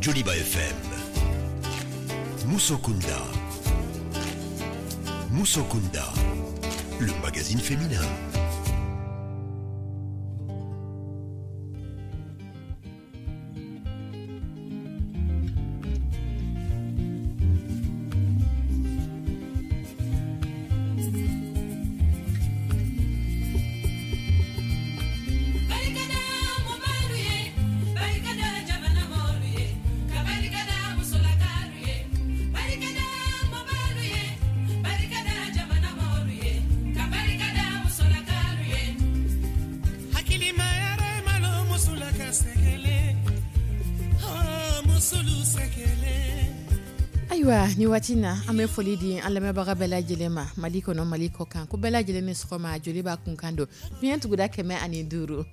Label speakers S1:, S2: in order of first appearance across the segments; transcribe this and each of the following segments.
S1: Joliba FM. Musokunda. Musokunda, le magazine féminin.
S2: Ayiwa, ni waati na, an bɛ foli di an lamɛnbaga bɛɛ lajɛlen ma, Mali kɔnɔ, Mali kɔ kan, ko bɛɛ lajɛlen ni sɔgɔma. Joliba kunkan don, fiɲɛ tuguda 105.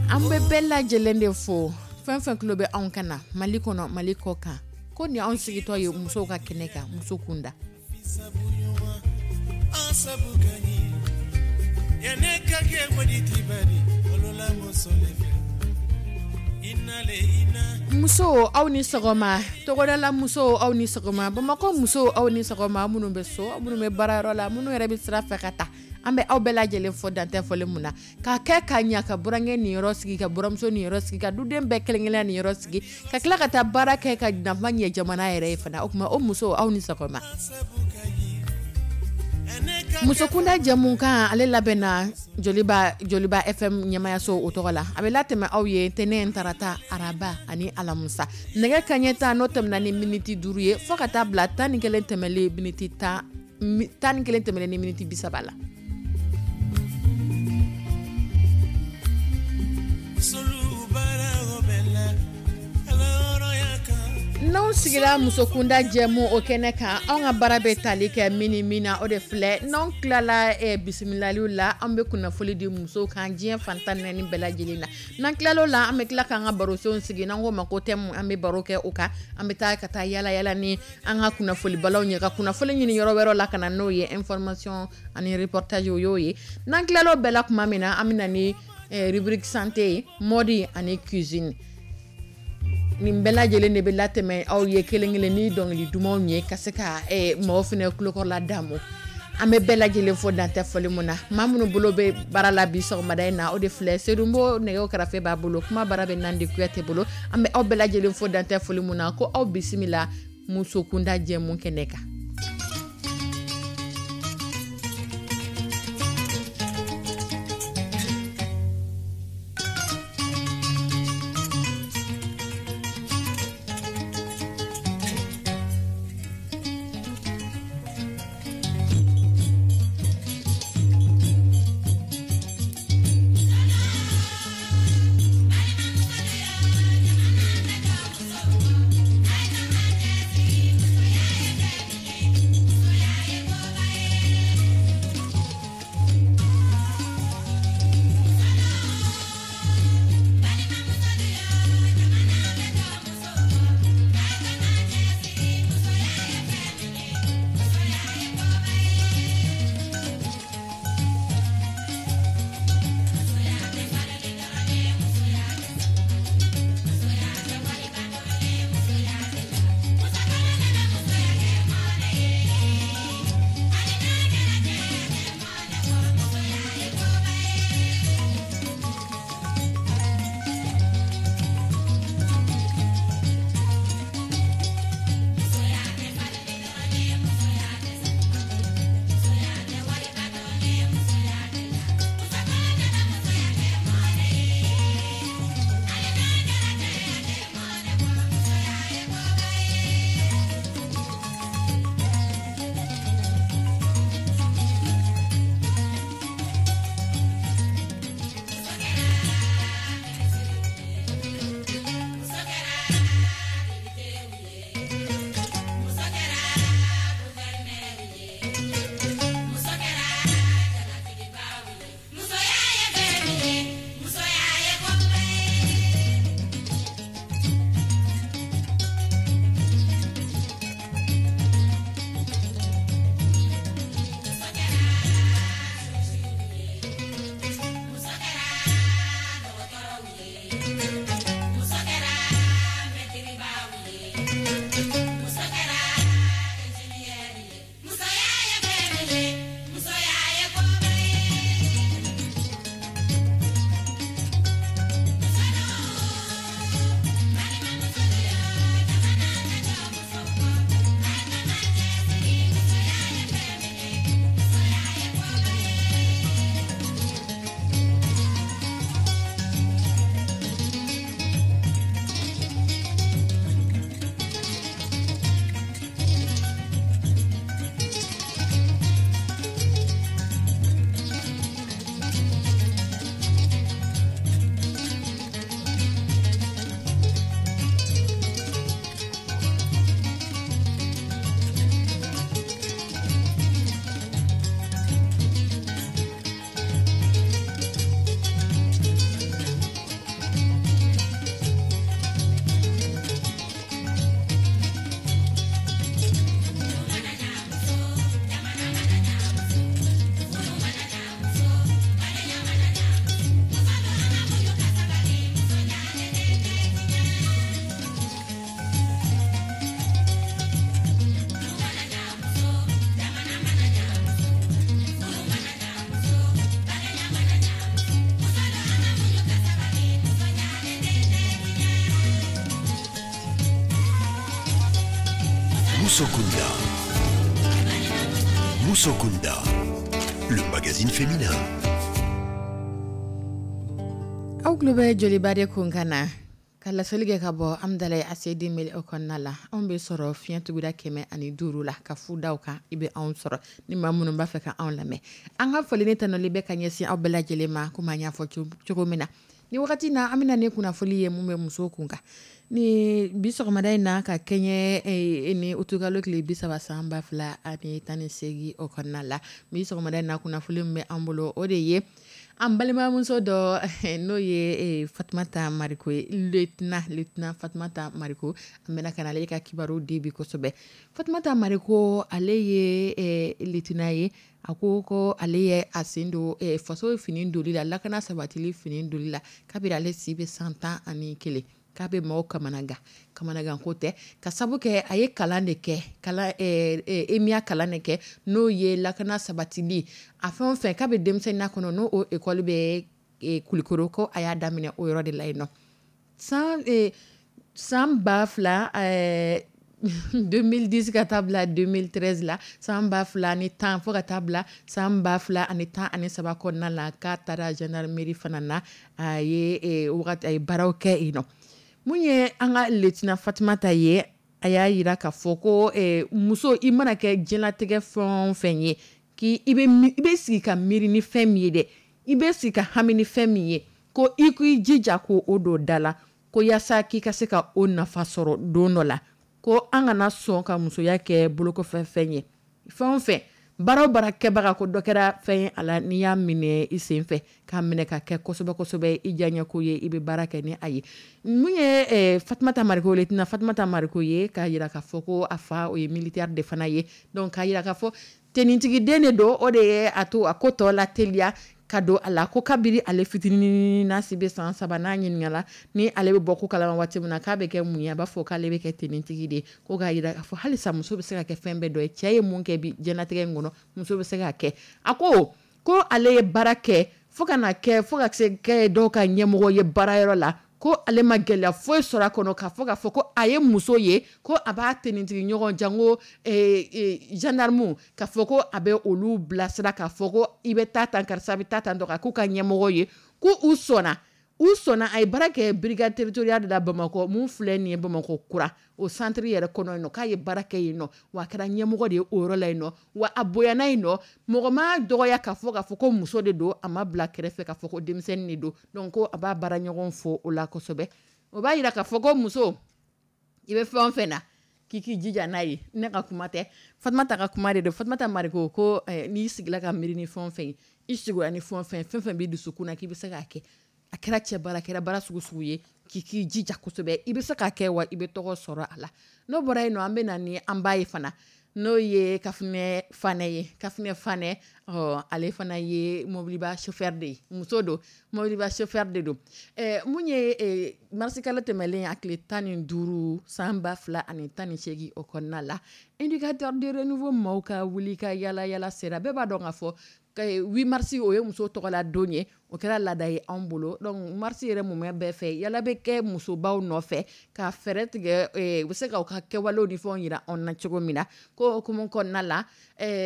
S2: An bɛ bɛɛ lajɛlen de fo, fɛn fɛn tulo bɛ anw kan na Mali kɔnɔ, Mali kɔ kan, ko ni anw sigitɔ ye musow ka kɛnɛ kan, muso kunda. Muso, aw ni sɔgɔma. Togodala musow, aw ni sɔgɔma. Bamakɔ musow, aw ni sɔgɔma. Minnu bɛ so, minnu bɛ baarayɔrɔ la, minnu yɛrɛ bɛ sira fɛ ka taa, an bɛ aw bɛɛ lajɛlen fɔ dantɛ fɔlen mun na k'a kɛ ka ɲa, ka burankɛ niyɔrɔ sigi, ka buramuso niyɔrɔ sigi, ka duden bɛɛ kelen-kelen niyɔrɔ sigi, ka tila ka taa baara kɛ ka nafa ɲɛ jamana yɛrɛ ye fana. O tuma, o muso, aw ni sɔgɔma. Musokunda jɛmukan, ale labɛnna Joliba FM ɲɛmayaso o tɔgɔ la. A bɛ latɛmɛ aw ye tɛnɛn, tarata, araba ani alamusa, nɛgɛ kaɲɛ 10 n'o tɛmɛna ni miniti 5 ye, fo ka taa bila 11 tɛmɛlen miniti 10, 11 tɛmɛnen ni miniti 30 la. N'anw sigira musokunda jɛmu o kɛnɛ kan, anw ka baara bɛ tali kɛ min ni min na, o de filɛ: n'anw tilala bisimilaliw la, an bɛ kunnafoli di musow kan diɲɛ fan 14 bɛɛ lajɛlen na. N'an tilal'o la, an bɛ tila k'an ka barosenw sigi, n'an k'o ma ko thème, an bɛ baro kɛ o kan. An bɛ taa ka taa yala yala ni an ka kunnafolibalaw ye, ka kunnafoli ɲini yɔrɔ wɛrɛw la ka na n'o ye, information ani reportage, o y'o ye. N'an tilal'o bɛɛ la tuma min na, an bɛ na ni rubrique santé ye, mode ani cuisine. Nin bɛɛ lajɛlen de bɛ latɛmɛ aw ye kelen kelen ni dɔnkili dumanw ye, ka se ka maaw fana tulokɔrɔla damu. An bɛ bɛɛ lajɛlen fo dantɛ fɔli mun na. Maa minnu bolo bɛ baara la bi sɔgɔmada in na, o de filɛ: Sedunbo, nɛgɛw karafe b'a bolo, kuma baara bɛ Nandi Kuyate bolo. An bɛ aw bɛɛ lajɛlen fo dantɛ fɔli mun na, ko aw bisimila musokunda jɛmu kɛnɛ kan.
S1: Musokunda. Musokunda, le magazine féminin.
S2: Aw tulo bɛ Joliba de kunkan na ka laseli kɛ ka bɔ Amidalayi ACI 2000 o kɔnɔna la. Anw bɛ sɔrɔ fiɲɛ tuguda 105 la ka fu da kan, i bɛ anw sɔrɔ ni maa minnu b'a fɛ ka anw lamɛn. An ka foli ni tanuli bɛ ka ɲɛsin aw bɛɛ lajɛlen ma, komi an y'a fɔ cogo min na ni wagati na, an bɛna ni kunnafoli ye mun bɛ musow kun kan ni bi sɔgɔmada in na, ka kɛɲɛ ni utukalo tile 30 san 2018 o kɔnɔna la. Bi sɔgɔmada in na, kunnafoli min bɛ an bolo, o de ye an balimamuso dɔ, n'o ye Fatumata Mariko ye, lieutenant Fatumata Mariko. An bɛna ka na ale ka kibaru di bi kosɛbɛ. Fatumata Mariko, ale ye lieutenant ye. A ko ko ale ye a sen don faso fini doli la, lakana sabatili fini doli la, kabini ale si bɛ san 11. K'a bɛ maaw kamanagan, kamanagan ko tɛ, ka sabu kɛ a ye kalan de kɛ, kalan EMIA kalan de kɛ, n'o ye lakana sabatili a fɛn o fɛn. K'a bɛ denmisɛnninya kɔnɔ, n'o o école bɛ Kulikoro, ko a y'a daminɛ o yɔrɔ de la yen nɔ san 2000, 2010 ka taa bila 2013 la, san 2010 fo ka taa bila san 2013 kɔnɔna la, k'a taara gendarmerie fana na. A ye wagati, a ye baaraw kɛ yen nɔ. Mun ye an ka lieutenant Fatumata ye, a y'a jira k'a fɔ ko muso, i mana kɛ diɲɛlatigɛ fɛn o fɛn ye, k'i i bɛ sigi ka miiri ni fɛn min ye dɛ, i bɛ sigi ka hami ni fɛn min ye, ko i k'i jija ko o don da la, ko yaasa k'i ka se ka o nafa sɔrɔ don dɔ la. Ko an kana sɔn ka musoya kɛ bolokɔfɛ fɛn ye. Fɛn o fɛn, baara o baara kɛbaga, ko dɔ kɛra fɛn ye a la, n'i y'a minɛ i sen fɛ k'a minɛ ka kɛ kosɛbɛ kosɛbɛ i diyaɲɛko ye, i bɛ baara kɛ ni a ye. Mun ye Fatumata Mariko, lieutenant Fatumata Mariko ye, k'a jira k'a fɔ ko a fa, o ye militaire de fana ye. Donc k'a jira k'a fɔ tenitigi de don, o de ye a to a ko tɔ la teliya ka don a la. Ko kabini ale fitinin, n'a si bɛ san 3, n'a ɲininkala ni ale bɛ bɔ ko kalama waati min na k'a bɛ kɛ mun ye, a b'a fɔ k'ale bɛ kɛ tenitigi de ye. Ko k'a jira k'a fɔ halisa muso bɛ se ka kɛ fɛn bɛɛ dɔ ye. Cɛ ye mun kɛ bi diɲɛlatigɛ in kɔnɔ, muso bɛ se k'a kɛ. A ko ko ale ye baara kɛ fo ka na kɛ, fo ka se kɛ dɔw ka ɲɛmɔgɔ ye baarayɔrɔ la, ko ale ma gɛlɛya foyi sɔrɔ a kɔnɔ, k'a fɔ ko a ye muso ye, ko a b'a tenitigi ɲɔgɔn janko gendarme, k'a fɔ ko a bɛ olu bilasira, k'a fɔ ko i bɛ taa tan, karisa bɛ taa tan dɔn, k'u ka ɲɛmɔgɔ ye, ko u sɔnna, u sɔnna. A ye baara kɛ brigade territoriale de la Bamakɔ, mun filɛ nin ye Bamakɔ kura, o centre yɛrɛ kɔnɔ yen nɔ, k'a ye baara kɛ yen nɔ, wa a kɛra ɲɛmɔgɔ de ye o yɔrɔ la yen nɔ, wa a bonyana yen nɔ. Mɔgɔ ma dɔgɔya k'a fɔ ko muso de don, a ma bila kɛrɛfɛ k'a fɔ ko denmisɛnnin de don. Donc ko a b'a baara ɲɔgɔn fo o la kosɛbɛ. O b'a jira k'a fɔ ko muso, i bɛ fɛn o fɛn na, k'i k'i jija n'a ye. Ne ka kuma tɛ, Fatumata ka kuma de don. Fatumata Mariko ko n'i sigila ka miiri ni fɛn o fɛn ye, i sigila ni fɛn o fɛn, fɛn fɛn b'i dusukun na k'i bɛ se k'a kɛ, a kɛra cɛ baara, a kɛra baara sugu sugu ye, k'i k'i jija kosɛbɛ, i bɛ se k'a kɛ, wa i bɛ tɔgɔ sɔrɔ a la. N'o bɔra yen nɔ, an bɛ na ni an ba ye fana, n'o ye Kafunɛ Fanɛ ye. Kafunɛ Fanɛ, ɔ, ale fana ye mobiliba chauffeur de ye, muso don, mobiliba chauffeur de don. Mun ye marisikalo tɛmɛlen a tile 15 san 2018 o kɔnɔna la, indicateur de renouveau maaw ka wuli ka yala yala sera. Bɛɛ b'a dɔn k'a fɔ 8 mars, o ye muso tɔgɔla don ye, o kɛra laada ye anw bolo. Donc mars yɛrɛ mumɛ bɛɛ fɛ, yala bɛ kɛ musobaw nɔfɛ ka fɛɛrɛ tigɛ u bɛ se ka u ka kɛwalew ni fɛnw jira anw na cogo min na. Ko hukumu kɔnɔna la,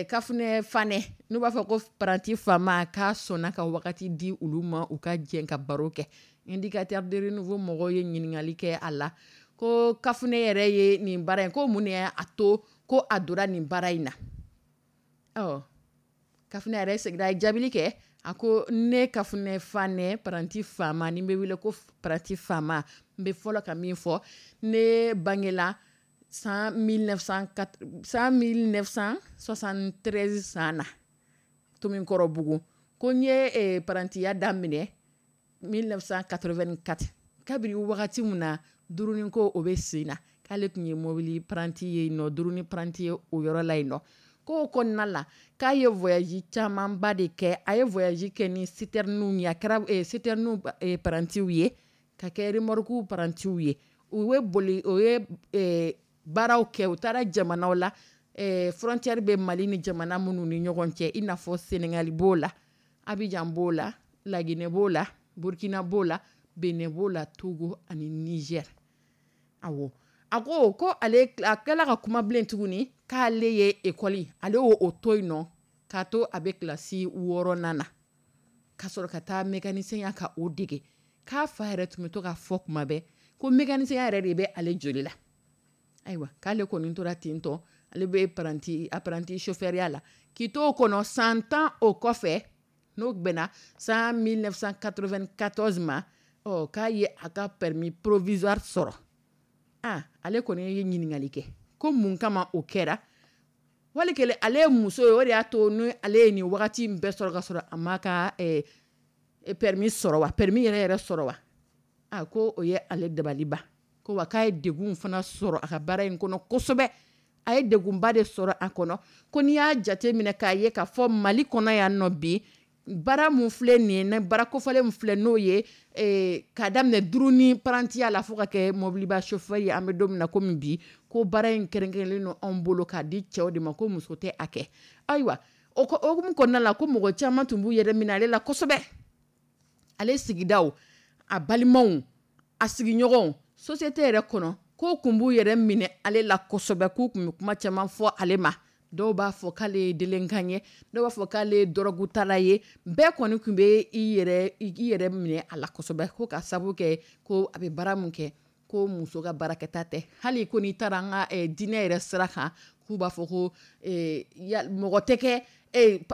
S2: Kafunɛ Fanɛ, n'u b'a fɔ ko paranti faama, k'a sɔnna ka wagati di olu ma, u ka jɛ ka baro kɛ. Indicateur de renouveau mɔgɔw ye ɲininkali kɛ a la, ko Kafunɛ yɛrɛ ye nin baara in, ko mun de y'a to ko a donna nin baara in na. Ɔ, Kafunɛ yɛrɛ seginna, a ye jaabili kɛ. A ko ne Kafunɛ Fanɛ, paranti faama, ni bɛ wele ko paranti faama, n bɛ fɔlɔ ka min fɔ, ne bangela san 1973 san na Tominkɔrɔbugu. Ko n ye parantiya daminɛ 1984, kabini wagati min na duruniko o bɛ sen na, k'ale tun ye mobili paranti ye nɔ, duruni paranti ye o yɔrɔ la yen nɔ. K'o kɔnɔna la, k'a ye voyage camanba de kɛ. A ye voyage kɛ ni citerne ye, a kɛra citerne parantiw ye, ka kɛ remorque parantiw ye. U bɛ boli, o ye baaraw kɛ, u taara jamanaw la, frontière bɛ Mali ni jamana minnu ni ɲɔgɔn cɛ, i n'a fɔ Sénégal b'o la, Abidjan b'o la, Laginɛ b'o la, Burkina b'o la, Benin b'o la, Togo ani Niger. Awɔ. A ko ale a tilala ka kuma bilen tuguni k'ale ye ekɔli, ale y'o to yen nɔ k'a to a bɛ kilasi 6nan na ka sɔrɔ ka taa mécanicien ya ka o dege. K'a fa yɛrɛ tun bɛ to k'a fɔ kuma bɛɛ ko mécanicien ya yɛrɛ de bɛ ale joli la. Ayiwa, k'ale kɔni tora ten tɔ, ale bɛ apprenti chauffeur ya la k'i to o kɔnɔ san 10 o kɔfɛ, n'o bɛnna san 1994 ma, ɔ k'a ye a ka permis provisoire sɔrɔ. Aa, ale kɔni ye ɲininkali kɛ ko mun kama o kɛra. Wali kelen ale ye muso ye, o de y'a to ni ale ye nin wagati in bɛɛ sɔrɔ ka sɔrɔ a ma ka permis sɔrɔ wa, permis yɛrɛ yɛrɛ sɔrɔ wa? A ko o ye ale dabali ban. Ko wa k'a ye degun fana sɔrɔ a ka baara in kɔnɔ kosɛbɛ. A ye degunba de sɔrɔ a kɔnɔ. Ko n'i y'a jate minɛ k'a ye k'a fɔ Mali kɔnɔ yan nɔ bi, baara mun filɛ nin ye, baara kofɔlen min filɛ n'o ye k'a daminɛ duruni parantiya la fo ka kɛ mobiliba chauffeur ye, an bɛ don min na komi bi, ko baara in kɛrɛnkɛrɛnlen don anw bolo k'a di cɛw de ma, ko muso tɛ a kɛ. Ayiwa, o hukumu kɔnɔna la, ko mɔgɔ caman tun b'u yɛrɛ minɛ ale la kosɛbɛ. Ale sigidaw, a balimaw, a sigiɲɔgɔnw, société yɛrɛ kɔnɔ, k'o tun b'u yɛrɛ minɛ ale la kosɛbɛ, k'u tun bɛ kuma caman fɔ ale ma. Dɔw b'a fɔ k'ale ye délinquant ye, dɔw b'a fɔ k'ale ye dɔrɔgutala ye. Bɛɛ kɔni tun bɛ i yɛrɛ minɛ a la kosɛbɛ, ko ka sabu kɛ ko a bɛ baara min kɛ, ko muso ka baarakɛta tɛ. Hali ko n'i taara an ka diinɛ yɛrɛ sira kan, k'u b'a fɔ ko mɔgɔ tɛ kɛ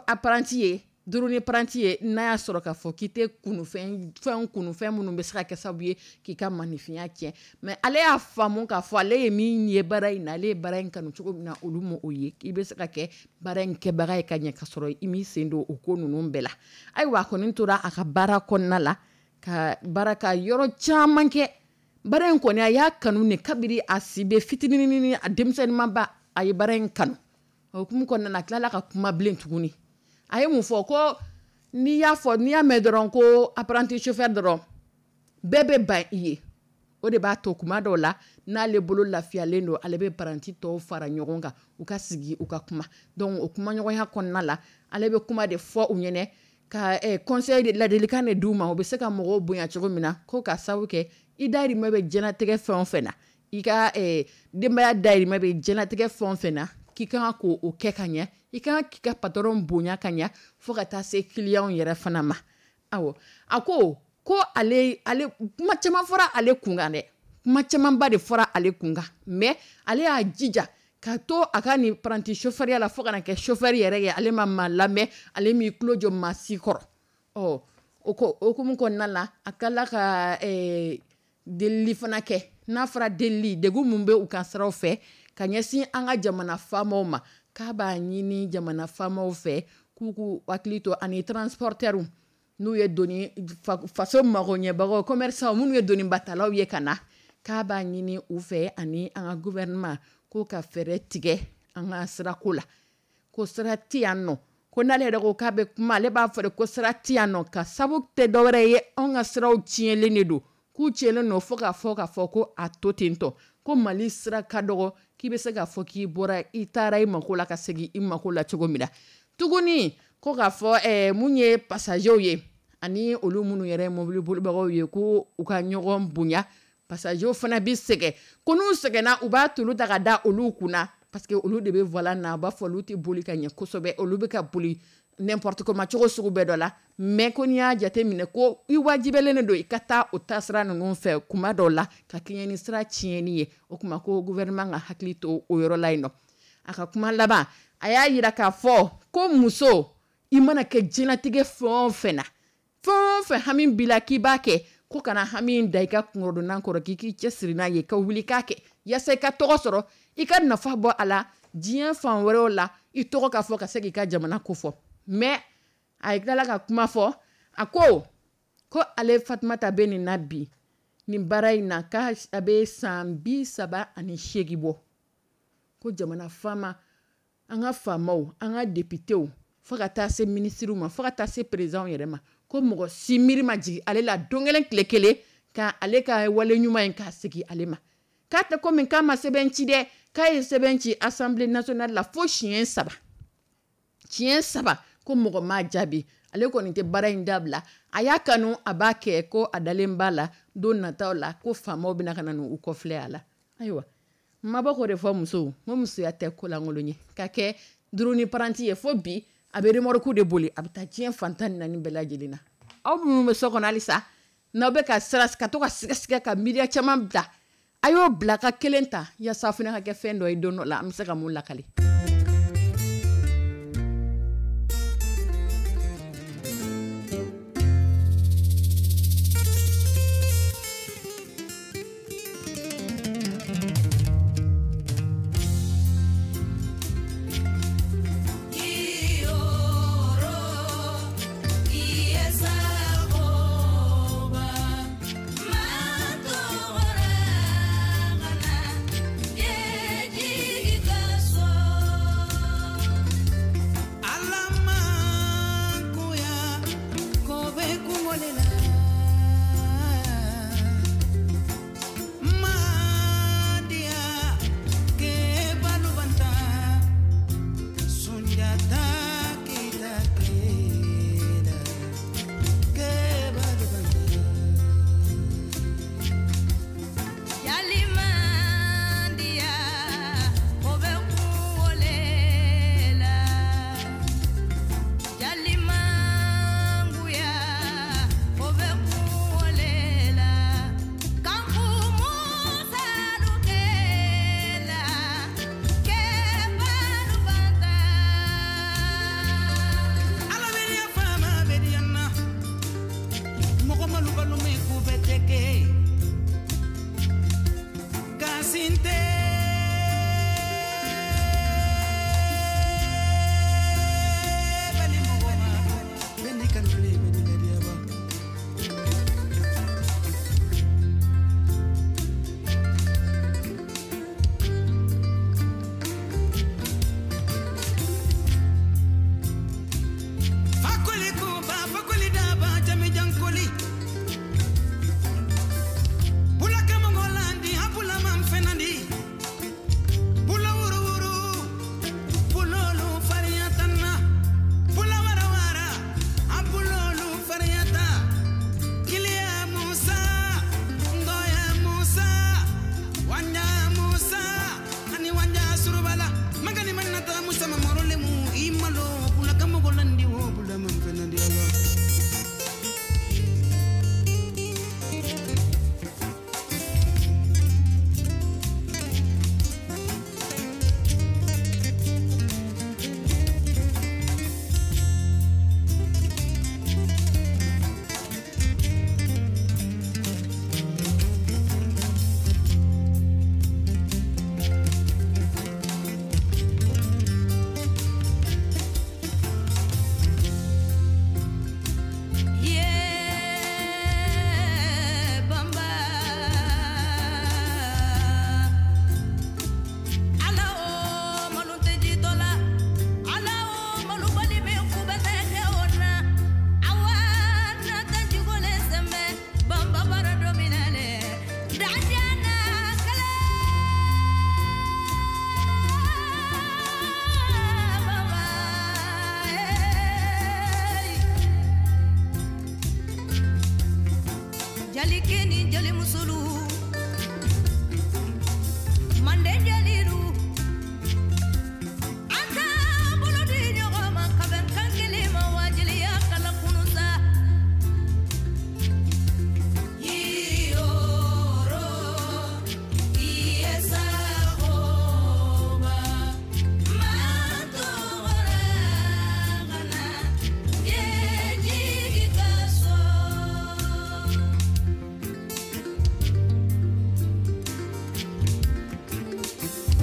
S2: apprenti ye, duruni apprenti ye, n'a y'a sɔrɔ k'a fɔ k'i tɛ kunufɛn fɛn kunufɛn minnu bɛ se ka kɛ sababu ye k'i ka maninfinya tiɲɛ. Mais ale y'a faamu k'a fɔ ale ye min ye baara in na, ale ye baara in kanu cogo min na, olu ma o ye. K'i bɛ se ka kɛ baara in kɛbaga ye ka ɲɛ ka sɔrɔ i m'i sen don o ko ninnu bɛɛ la. Ayiwa, a kɔni tora a ka baara kɔnɔna la ka baara ka yɔrɔ caman kɛ. Baara in kɔni, a y'a kanu de kabiri a si bɛ fitinin, a denmisɛnninmaba, a ye baara in kanu. O hukumu kɔnɔna na, a tilala ka kuma bilen tuguni. A ye mun fɔ? Ko n'i y'a fɔ, n'i y'a mɛn dɔrɔn ko apprenti chauffeur dɔrɔn, bɛɛ bɛ ban i ye. O de b'a to kuma dɔw la, n'ale bolo lafiyalen don, ale bɛ apprenti tɔw fara ɲɔgɔn kan, u ka sigi, u ka kuma. Donc o kumaɲɔgɔnya kɔnɔna la, ale bɛ kuma de fɔ u ɲɛnɛ ka conseil de, ladilikan de d'u ma, u bɛ se ka mɔgɔw bonya cogo min na. Ko ka sababu kɛ i dahirimɛ bɛ diɲɛlatigɛ fɛn o fɛn na, i ka denbaya dahirimɛ bɛ diɲɛlatigɛ fɛn o fɛn na, k'i kan k'o kɛ ka ɲɛ, i kan k'i ka patron bonya ka ɲɛ, fo ka taa se client yɛrɛ fana ma. Awɔ, a ko ko ale kuma caman fɔra ale kunkan dɛ, kuma camanba de fɔra ale kunkan, mais ale y'a jija ka to a ka nin apprenti chauffeur la fo ka na kɛ chauffeur yɛrɛ ye. Ale ma maa lamɛn, ale m'i tulo jɔ maa si kɔrɔ. Ɔ, o ko hukumu kɔnɔna la, a tilala ka delili fana kɛ. N'a fɔra delili, degun mun bɛ u ka siraw fɛ ka ɲɛsin an ka jamana faamaw ma, k'a b'a ɲini jamana faamaw fɛ k'u k'u hakili to ani transporteurs, n'u ye doni faso magoɲɛbagaw, commerçants minnu ye donibatalaw ye ka na, k'a b'a ɲini u fɛ ani an ka gouvernement ko ka fɛɛrɛ tigɛ an ka sirako la, ko sira tɛ yan nɔ. Ko n'ale yɛrɛ ko k'a bɛ kuma, ale b'a fɔ de ko sira tɛ yan nɔ, ka sabu tɛ dɔwɛrɛ ye, anw ka siraw tiɲɛlen de don, k'u tiɲɛlen don fo k'a fɔ k'a fɔ ko a to ten tɔ, ko Mali sira ka dɔgɔ, k'i bɛ se k'a fɔ k'i bɔra i taara i mako la ka segin i mako la cogo min na. Tuguni ko k'a fɔ mun ye passagers ye ani olu minnu yɛrɛ ye mobili bolibagaw ye, ko u ka ɲɔgɔn bonya. Passagers fana bɛ sɛgɛn, ko n'u sɛgɛnna, u b'a tulu ta ka da olu kunna, parce que olu de bɛ volant na, u b'a fɔ olu tɛ boli ka ɲɛ kosɛbɛ, olu bɛ ka boli n'importe comment cogo sugu bɛɛ dɔ la. Mais ko n'i y'a jate minɛ, ko i wajibiyalen don i ka taa o taasira ninnu fɛ kuma dɔw la ka kɛɲɛ ni sira tiɲɛni ye. O tuma ko gouvernement ka hakili to o yɔrɔ la yen nɔ. A ka kuma laban, a y'a yira k'a fɔ ko muso, i mana kɛ diɲɛlatigɛ fɛn o fɛn na, fɛn o fɛn hami b'i la k'i b'a kɛ, ko kana hami da i ka kungodonna kɔrɔ, k'i k'i cɛsiri n'a ye ka wuli k'a kɛ yaasa i ka tɔgɔ sɔrɔ, i ka nafa bɔ a la diɲɛ fan wɛrɛw la, i tɔgɔ ka fɔ ka se k'i ka jamana kofɔ. Mais a ye tilala ka kuma fɔ, a ko ko ale Fatumata bɛ nin na bi, nin baara in na, k'a a bɛ san 38 bɔ. Ko jamana faama, an ka faamaw, an ka députéw, fo ka taa se ministres ma, fo ka taa se président yɛrɛ ma, ko mɔgɔ si miiri ma jigin ale la don kelen tile kelen ka ale ka wale ɲuman in k'a segin ale ma. K'a tɛ komi k'a ma sɛbɛn ci dɛ, k'a ye sɛbɛn ci Assemblée nationale la fo siɲɛ 3, siɲɛ 3, ko mɔgɔ m'a jaabi. Ale kɔni tɛ baara in dabila, a y'a kanu, a b'a kɛ, ko a dalen b'a la don nataw la ko faamaw bɛna ka na n'u kɔfilɛ a la. Ayiwa. Mabɔ k'o de fɔ musow, n ko musoya tɛ kolankolon ye ka kɛ duruni paranti ye fo bi a bɛ remorque de boli, a bɛ taa diɲɛ fan 14 bɛɛ lajɛlen na. Aw minnu bɛ so kɔnɔ halisa n'aw bɛ ka siran ka to ka siga ka miiriya caman bila, a y'o bila ka kelen ta yaasa fana ka kɛ fɛn dɔ ye don dɔ la an bɛ se ka mun lakale.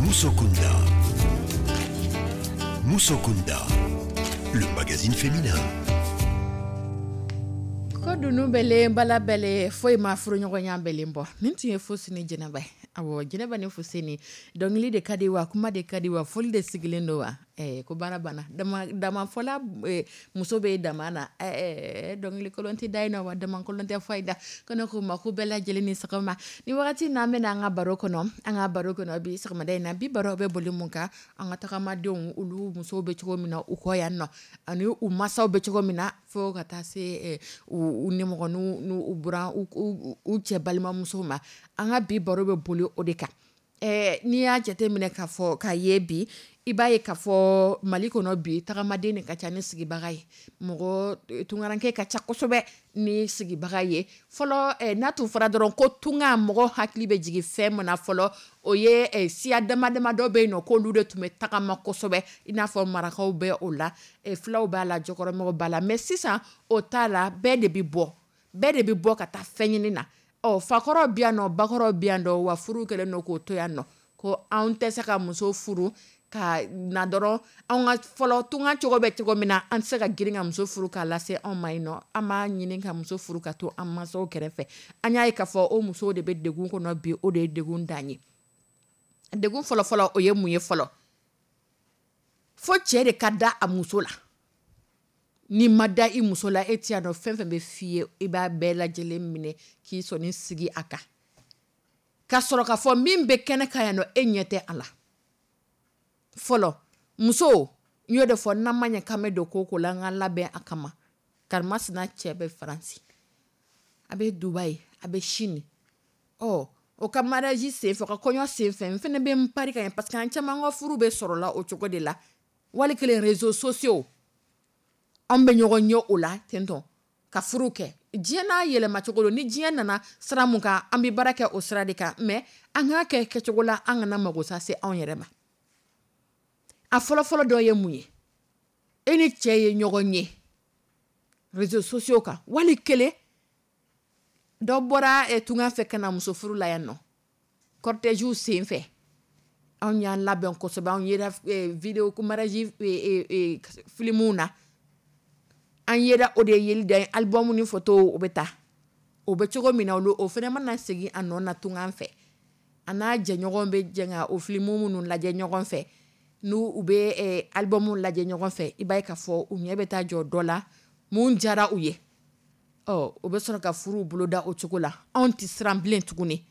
S1: Musokunda. Musokunda, le magazine féminin.
S2: Ko dunun bɛlen bala bɛlen foyi ma furuɲɔgɔnya bɛlen bɔ. Nin tun ye Fuseni Jɛnɛba ye. Awɔ, Jɛnɛba ni Fuseni, dɔnkili de ka di wa kuma de ka di wa foli de sigilen don wa ko baara banna dama damafɔla muso bɛ dama na dɔnkili kolon tɛ da yen nɔ wa dama kolon tɛ fɔ da ko ne ko ma ko bɛɛ lajɛlen ni sɔgɔma. Ni wagati n'an bɛna an ka baro kɔnɔ, an ka baro kɔnɔ bi sɔgɔmada in na, bi baro bɛ boli mun kan, an ka tagamadenw olu musow bɛ cogo min na u kɔ yan nɔ, ani u masaw bɛ cogo min na fo ka taa se u nimɔgɔninw n'u buran u cɛ balimamusow ma. An ka bi baro bɛ boli o de kan. N'i y'a jate minɛ k'a fɔ k'a ye bi, i b'a ye k'a fɔ Mali kɔnɔ bi, tagamaden de ka ca ni sigibaga ye. Mɔgɔ tunkaranke ka ca kosɛbɛ ni sigibaga ye. Fɔlɔ, n'a tun fɔra dɔrɔn ko tunga, mɔgɔ hakili bɛ jigin fɛn min na fɔlɔ, o ye siya dama dama dɔ bɛ yen nɔ k'olu de tun bɛ tagama kosɛbɛ, i n'a fɔ marakaw bɛ o la, fulaw b'a la, jɔkɔrɔmɛw b'a la. Mais sisan o t'a la, bɛɛ de bɛ bɔ, bɛɛ de bɛ bɔ ka taa fɛn ɲini na. Ɔ, fakɔrɔw bɛ yan nɔ, bakɔrɔw bɛ yan nɔ, wa furu kɛlen don k'o to yan nɔ ko anw tɛ se ka muso furu ka na dɔrɔn. Anw ka fɔlɔ tunga cogo bɛ cogo min na, an tɛ se ka girin ka muso furu k'a lase anw ma yen nɔ. An b'a ɲini ka muso furu ka to an mansaw kɛrɛfɛ. An y'a ye k'a fɔ o musow de bɛ degun kɔnɔ bi, o de ye degun dan ye. Degun fɔlɔfɔlɔ, o ye mun ye fɔlɔ? Fo cɛ de ka da a muso la. N'i ma da i muso la, e t'i dɔn fɛn fɛn bɛ f'i ye, i b'a bɛɛ lajɛlen minɛ k'i sɔnin sigi a kan. Ka sɔrɔ k'a fɔ min bɛ kɛnɛ kan yan nɔ, e ɲɛ tɛ a la. Fɔlɔ muso, n y'o de fɔ, n'an ma ɲɛ k'an bɛ don ko ko la, an ka labɛn a kama. Karimasina cɛ bɛ Faransi, a bɛ Dubaï, a bɛ Chine. Ɔ, o ka mariage senfɛ, o ka kɔɲɔ senfɛ, n fana bɛ n pari ka ɲɛ, parce que an caman ka furu bɛ sɔrɔ la o cogo de la. Wali kelen réseaux sociaux, an bɛ ɲɔgɔn ye o la tentɔ ka furu kɛ. Diɲɛ n'a yɛlɛma cogo don. Ni diɲɛ nana sira mun kan, an bɛ baara kɛ o sira de kan. Mais an k'a kɛ kɛcogo la, an kana mago sa se anw yɛrɛ ma. A fɔlɔfɔlɔ dɔ ye mun ye? E ni cɛ ye ɲɔgɔn ye réseaux sociaux kan, wali kelen dɔ bɔra tunga fɛ ka na muso furu la yan nɔ, cortège sen fɛ. Anw y'an labɛn kosɛbɛ, anw yera vidéo ko mariage filmuw na, an yera o de yeli da album ni photo o bɛ taa o bɛ cogo min na, olu o fana mana segin a nɔ na tunga fɛ, a n'a jɛɲɔgɔn bɛ jɛ ka o filimu minnu lajɛ ɲɔgɔn fɛ, n'u u bɛ album lajɛ ɲɔgɔn fɛ, i b'a ye k'a fɔ u ɲɛ bɛ taa jɔ dɔ la mun diyara u ye. Ɔ, o bɛ sɔrɔ ka furu boloda o cogo la. Anw tɛ siran bilen tuguni.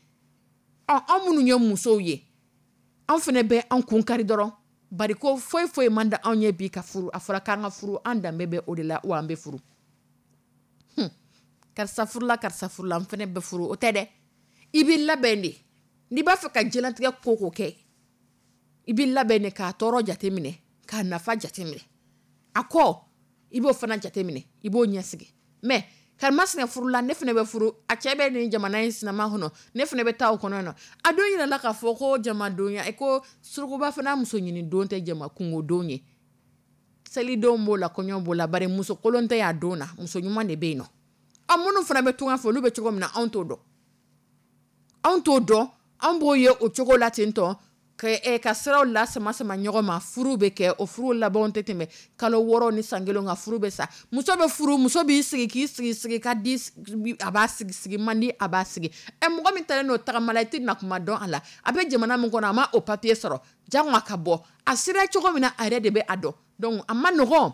S2: Ɔ, anw minnu ye musow ye, anw fana bɛ an kun kari dɔrɔn, bari ko foyi foyi man di anw ye bi ka furu. A fɔra k'an ka furu, an danbe bɛ o de la, wa an bɛ furu. Karisa furula, karisa furula, n fana bɛ furu, o tɛ dɛ. I b'i labɛn de. N'i b'a fɛ ka diɲɛlatigɛ ko ko kɛ, i b'i labɛn de k'a tɔɔrɔ jateminɛ, k'a nafa jateminɛ. A kɔ, i b'o fana jateminɛ, i b'o ɲɛsigi. Mais karimasina furula, ne fana bɛ furu, a cɛ bɛ nin jamana in sinama kɔnɔ, ne fana bɛ taa o kɔnɔ nɔ. A don yɛrɛ la k'a fɔ ko jamadonya, ko surukuba fana muso ɲini don tɛ jama kungo don ye. Selidenw b'o la, kɔɲɔ b'o la, bari muso kolon tɛ y'a don na, muso ɲuman de bɛ yen nɔ. Ɔ, minnu fana bɛ tunga fɛ, olu bɛ cogo min na, anw t'o dɔn. Anw t'o dɔn, anw b'o ye o cogo la ten tɔ, ka siraw la sama sama ɲɔgɔn ma, furu bɛ kɛ, o furu labanw tɛ tɛmɛ kalo 6 ni san 1 kan, furu bɛ sa. Muso bɛ furu, muso b'i sigi k'i sigi sigi ka di, a b'a sigi sigi man di, a b'a sigi. Mɔgɔ min talen n'o tagama la, i tɛ na kuma dɔn a la. A bɛ jamana min kɔnɔ, a ma o papier sɔrɔ, jango ka bɔ. A sera cogo min na, a yɛrɛ de bɛ a dɔn. Donc a ma nɔgɔn,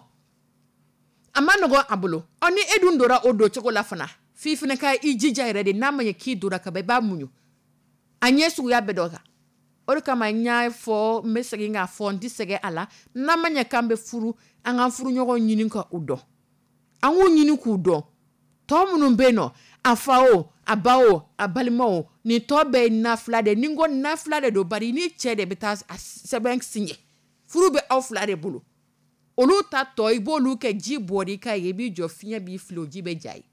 S2: a ma nɔgɔn a bolo. Ɔ, ni e dun donna o don cogo la fana, f'i fana ka i jija yɛrɛ de. N'a ma ɲɛ k'i donna ka ban, i b'a muɲu a ɲɛ suguya bɛɛ dɔ kan. O de kama n y'a fɔ, n bɛ segin k'a fɔ, n tɛ sɛgɛn a la, n'an ma ɲɛ k'an bɛ furu, an k'an furuɲɔgɔn ɲini ka u dɔn. An k'u ɲini k'u dɔn. Tɔ minnu bɛ yen nɔ, a fa o, a ba o, a balima o, nin tɔ bɛɛ ye nafila de ye. Ni n ko nafila de don, bari ni cɛ de bɛ taa sɛbɛn signé, furu bɛ aw fila de bolo. Olu ta tɔ, i b'olu kɛ ji bɔr'i kan ye, i b'i jɔ fiɲɛ b'i fili, o ji bɛ ja ye.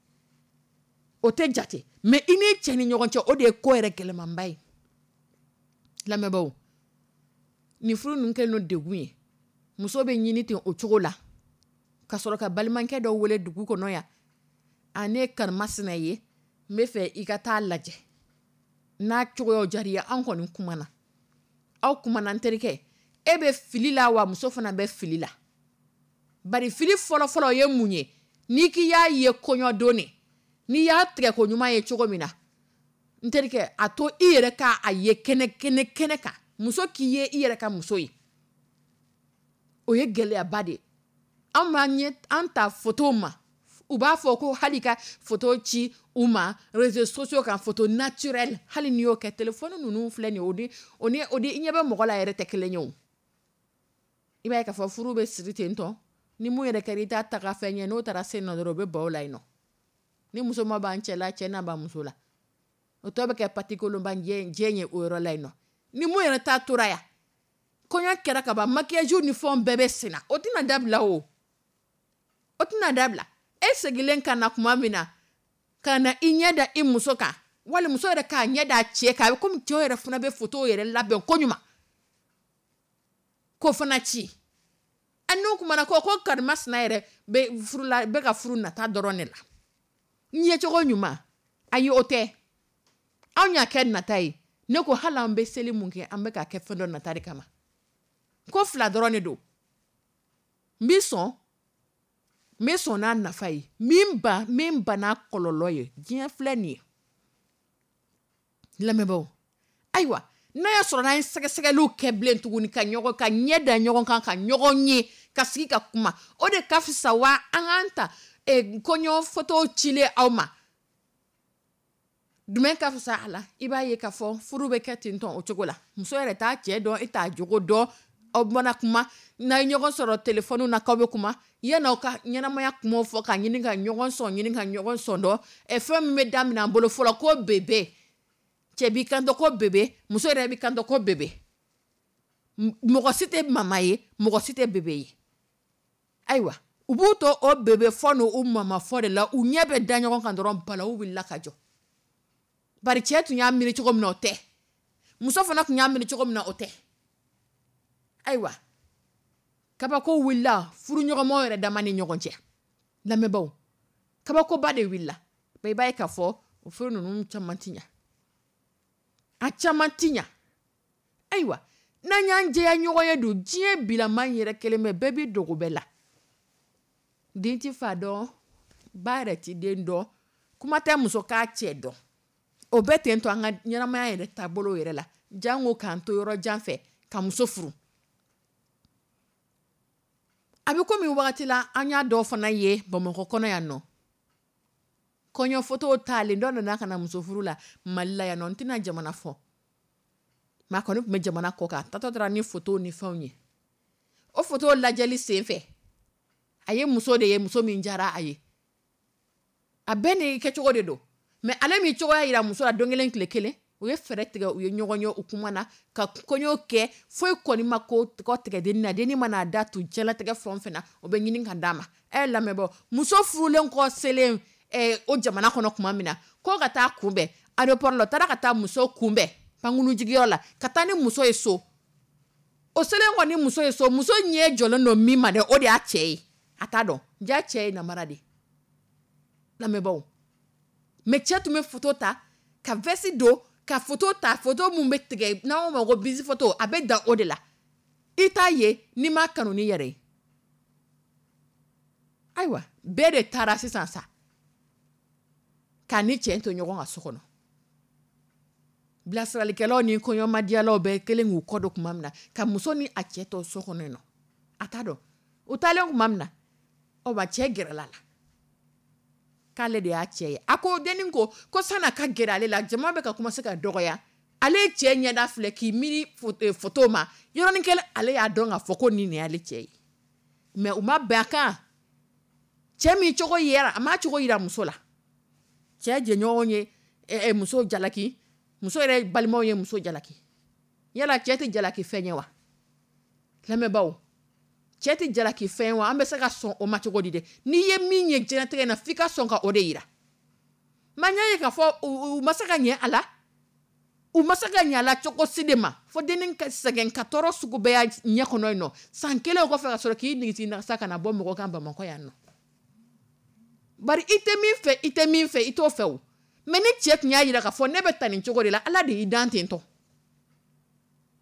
S2: O tɛ jate. Mais i n'i cɛ ni ɲɔgɔn cɛ, o de ye ko yɛrɛ gɛlɛmanba ye. Lamɛnbaaw, nin furu ninnu kɛlen don degun ye. Muso bɛ ɲini ten o cogo la, ka sɔrɔ ka balimakɛ dɔ wele dugu kɔnɔ yan. A, ne ye karimasina ye, n bɛ fɛ i ka taa lajɛ. N'a cogoyaw diyara i ye, an kɔni kumana. Aw kumana, n terikɛ, e bɛ fili la wa muso fana bɛ fili la. Bari fili fɔlɔfɔlɔ ye mun ye? N'i k'i y'a ye kɔɲɔ don de, n'i y'a tigɛ ko ɲuman ye cogo min na, n terikɛ, a to i yɛrɛ k'a ye kɛnɛ kɛnɛ kɛnɛ kan. Muso k'i ye i yɛrɛ ka muso ye, o ye gɛlɛyaba de ye. An b'an ɲɛ an ta photo ma, u b'a fɔ ko hali ka photo ci u ma réseaux sociaux kan, photo naturelle, hali n'i y'o kɛ, téléphone ninnu filɛ nin ye, o di i ɲɛ bɛ mɔgɔ la yɛrɛ tɛ kelen ye o. I b'a ye k'a fɔ furu bɛ siri ten tɔ, ni mun yɛrɛ kɛra i t'a taga fɛn ye, n'o taara sen nɔ dɔrɔn, o bɛ ban o la yen nɔ. Ni muso ma ban cɛ la, cɛ na ban muso la. O tɔ bɛ kɛ patikolonba jɛ ye o yɔrɔ la yen nɔ. Ni mun yɛrɛ ta tora yan, kɔɲɔ kɛra ka ban, maquillage ni fɛnw bɛɛ bɛ senna, o tɛna dabila o, o tɛna dabila. E seginlen ka na tuma min na, ka na i ɲɛ da i muso kan, wali muso yɛrɛ k'a ɲɛ da a cɛ kan, a bɛ komi cɛw yɛrɛ fana bɛ photo yɛrɛ labɛn koɲuman k'o fana ci. A n'u kumana ko ko karimasina yɛrɛ bɛ furu la, bɛ ka furu nata dɔrɔn de la. N yecogo ɲuman, ayi o tɛ. Anw y'a kɛ nata ye. Ne ko hali an bɛ seli mun kɛ, an bɛ ka kɛ fɛn dɔ nata de kama. Ko fila dɔrɔn de don. N b'i sɔn, n bɛ sɔn n'a nafa ye, n ban, n ban n'a kɔlɔlɔ ye. Diɲɛ filɛ nin ye. Lamɛnbaaw, ayiwa, n'a y'a sɔrɔ n'an ye sɛgɛsɛgɛliw kɛ bilen tuguni, ka ɲɔgɔn ka ɲɛ da ɲɔgɔn kan, ka ɲɔgɔn ye, ka sigi ka kuma, o de ka fisa wa an k'an ta kɔɲɔ foto cilen aw ma. Jumɛn ka fisa a la? I b'a ye k'a fɔ furu bɛ kɛ ten tɔn o cogo la. Muso yɛrɛ t'a cɛ dɔn, e t'a jogo dɔn, aw mana kuma, n'a ye ɲɔgɔn sɔrɔ téléphone na k'aw bɛ kuma, yan'aw ka ɲɛnamaya kumaw fɔ ka ɲini ka ɲɔgɔn sɔn ɲini ka ɲɔgɔn sɔn dɔn, fɛn min bɛ daminɛ an bolo fɔlɔ ko bébé. Cɛ b'i kanto ko bébé, muso yɛrɛ b'i kanto ko bébé. Mɔgɔ si tɛ mama ye, mɔgɔ si tɛ bébé ye. Ayiwa, u b'u to o bébé fɔ n'u mama fɔ de la, u ɲɛ bɛ da ɲɔgɔn kan dɔrɔn, balawu wulila ka jɔ. Bari cɛ tun y'a miiri cogo min na o tɛ, muso fana tun y'a miiri cogo min na o tɛ. Ayiwa, kabako wulila furuɲɔgɔnmaw yɛrɛ dama ni ɲɔgɔn cɛ. Lamɛnbaaw, kabakoba de wulila. I b'a ye k'a fɔ o furu ninnu caman ti ɲɛ, a caman ti ɲɛ. Ayiwa, n'an y'an jɛya ɲɔgɔn ye dun, diɲɛ bilama yɛrɛ kelen bɛ, bɛɛ b'i dogo bɛɛ la. Den ti fa dɔn, ba yɛrɛ ti den dɔn, kuma tɛ muso k'a cɛ dɔn. O bɛɛ ten to an ka ɲɛnamaya yɛrɛ taabolo yɛrɛ la, jango k'an to yɔrɔ jan fɛ ka muso furu. A bɛ komi wagati la an y'a dɔw fana ye Bamakɔ kɔnɔ yan nɔ. Kɔɲɔ foto taalen dɔ nana ka na muso furu la Mali la yan nɔ, n tɛna jamana fɔ. Maa kɔni tun bɛ jamana kɔ kan, tatɔ taara ni foto ni fɛnw ye. O foto lajɛli sen fɛ, a ye muso de ye, muso min diyara a ye. A bɛɛ n'i kɛcogo de don. Mais ale min cogoya jira muso la don kelen tile kelen, u ye fɛɛrɛ tigɛ, u ye ɲɔgɔn ye, u kumana ka kɔɲɔ kɛ, foyi kɔni ma ko kɔ tigɛ dennin na, dennin mana da tu diɲɛlatigɛ fɛn o fɛn na, o bɛ ɲini ka d'a ma. Ɛ lamɛnbaaw, muso furulen kɔ selen o jamana kɔnɔ tuma min na, ko ka taa kunbɛn aéroport la, u taara ka taa muso kunbɛn pankurunjigiyɔrɔ la, ka taa ni muso ye so. O selen kɔni muso ye so, muso ɲɛ jɔlen don min ma dɛ, o de y'a cɛ ye. A t'a dɔn, ja cɛ ye namara de ye. Lamɛnbaaw, mais cɛ tun bɛ photo ta ka veste don, ka photo ta, photo mun bɛ tigɛ n'an ko ma ko bise photo, a bɛ dan o de la. I t'a ye n'i m'a kanu n'i yɛrɛ ye. Ayiwa, bɛɛ de taara sisan sa k'a ni cɛ to ɲɔgɔn ka so kɔnɔ. Bilasiralikɛlaw ni kɔɲɔmadiyalaw bɛɛ kelen k'u kɔ don tuma min na, ka muso ni a cɛ to so kɔnɔ yen nɔ, a t'a dɔn. U taalen tuma min na, ɔ wa cɛ gɛrɛla la k'ale de y'a cɛ ye. A ko dennin ko ko san'a ka gɛrɛ ale la, jama bɛ ka commencer ka dɔgɔya. Ale ye cɛ ɲɛda filɛ k'i miiri photo ma, yɔrɔnin kelen ale y'a dɔn k'a fɔ ko nin de y'ale cɛ ye. Mais u ma bɛn a kan. Cɛ min cogo yera, a m'a cogo yira muso la. Cɛ jɛɲɔgɔn ye muso jalaki, muso yɛrɛ balimaw ye muso jalaki. Yala cɛ tɛ jalaki fɛn ye wa? Lamɛnbaaw, cɛ tɛ jalaki fɛn ye wa? An bɛ se ka sɔn o ma cogo di dɛ? N'i ye min ye diɲɛlatigɛ in na, f'i ka sɔn ka o de yira. Mais n y'a ye k'a fɔ u ma se ka ɲɛ a la. U ma se ka ɲɛ a la cogo si de ma. Fo dennin ka sɛgɛn ka tɔɔrɔ sugu bɛɛ y'a ɲɛ kɔnɔ yen nɔ. San kelen o kɔfɛ ka sɔrɔ k'i nigiti nagasa ka na bɔ mɔgɔ kan Bamakɔ yan nɔ. Bari i tɛ min fɛ, i tɛ min fɛ, i t'o fɛ o. Mais ni cɛ tun y'a jira k'a fɔ ne bɛ tan nin cogo de la, Ala de y'i dan ten tɔ.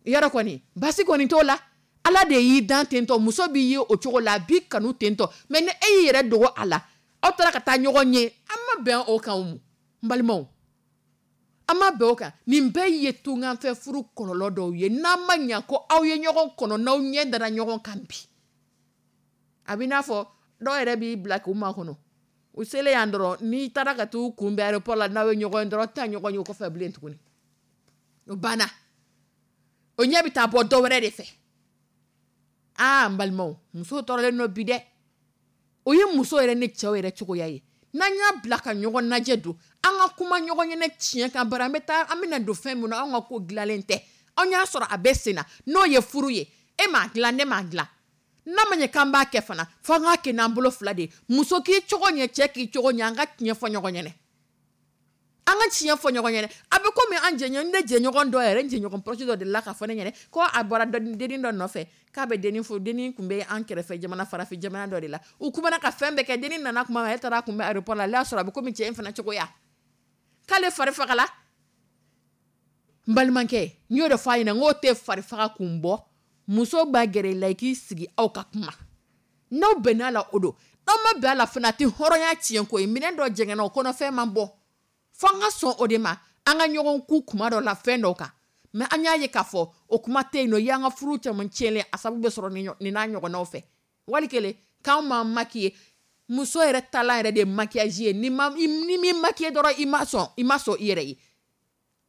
S2: Yɔrɔ kɔni, basi kɔni t'o la. Ala de y'i dan ten tɔ, muso b'i ye o cogo la, a b'i kanu ten tɔ. Mais ni e y'i yɛrɛ dogo a la, aw taara ka taa ɲɔgɔn ye, an ma bɛn o kan o, n balimaw. An ma bɛn o kan. Nin bɛɛ ye tunganfɛ furu kɔlɔlɔ dɔw ye. N'an ma ɲa ko aw ye ɲɔgɔn kɔnɔ, n'aw ɲɛ dara ɲɔgɔn kan bi. A b'i n'a fɔ dɔw yɛrɛ b'i bila k'u makɔnɔ. U selen yan dɔrɔn, n'i taara ka t'u kunbɛn aéroport la, n'aw ye ɲɔgɔn ye dɔrɔn, aw tɛna ɲɔgɔn ye o kɔfɛ bilen tuguni. O banna. O ɲɛ bɛ taa bɔ dɔ wɛrɛ de fɛ. Aa n balimaw, muso tɔɔrɔlen don bi dɛ. O ye muso yɛrɛ ni cɛw yɛrɛ cogoya ye. N'an y'a bila ka ɲɔgɔn lajɛ don, an ka kuma ɲɔgɔn ɲɛnɛ tiɲɛ kan, bari an bɛ taa, an bɛna don fɛn min na, anw ka ko dilanlen tɛ. Anw y'a sɔrɔ a bɛ sen na, n'o ye furu ye. E m'a dilan, ne m'a dilan. N'a ma ɲɛ k'an b'a kɛ fana, fo an k'a kɛ n'an bolo fila de ye. Muso k'i cogo ɲɛ, cɛ k'i cogo ɲɛ, an ka tiɲɛ fɔ ɲɔgɔn ɲɛna. An ka tiɲɛ fɔ ɲɔgɔn ɲɛna. A bɛ komi an jɛɲɔgɔn, ne jɛɲɔgɔn dɔ yɛrɛ, n jɛɲɔgɔn proche dɔ delila k'a fɔ ne ɲɛna ko a bɔra dennin dɔ nɔfɛ, k'a bɛ dennin furu. Dennin tun bɛ an kɛrɛfɛ jamana, farafin jamana dɔ de la. U kumana ka fɛn bɛɛ kɛ, dennin nana tuma min, ale taara kunbɛn aéroport la, ale y'a sɔrɔ a bɛ komi cɛ in fana cogoya. K'ale fari fagala. N balimakɛ, n y'o de fɔ a ɲɛna, n k'o tɛ fari faga kun bɔ. Muso b'a gɛrɛ i la, i k'i sigi aw ka kuma. N'aw bɛn'a la, o don. N'aw ma bɛn a la fana, a tɛ hɔrɔnya tiɲɛ ko ye. Minɛn dɔ jɛngɛnna, o kɔnɔfɛn man bɔ. Fo an ka sɔn o de ma, an ka ɲɔgɔn ku kuma dɔ la fɛn dɔw kan. Mais an y'a ye k'a fɔ o kuma tɛ yen nɔ. I y'an ka furu caman tiɲɛlen, a sababu bɛ sɔrɔ nin n'a ɲɔgɔnnaw fɛ. Wali kelen k'anw m'an maquiller, muso yɛrɛ taalan yɛrɛ de ye maquillage ye. Ni ma, ni m'i maquiller dɔrɔn, i ma sɔn, i ma sɔn i yɛrɛ ye.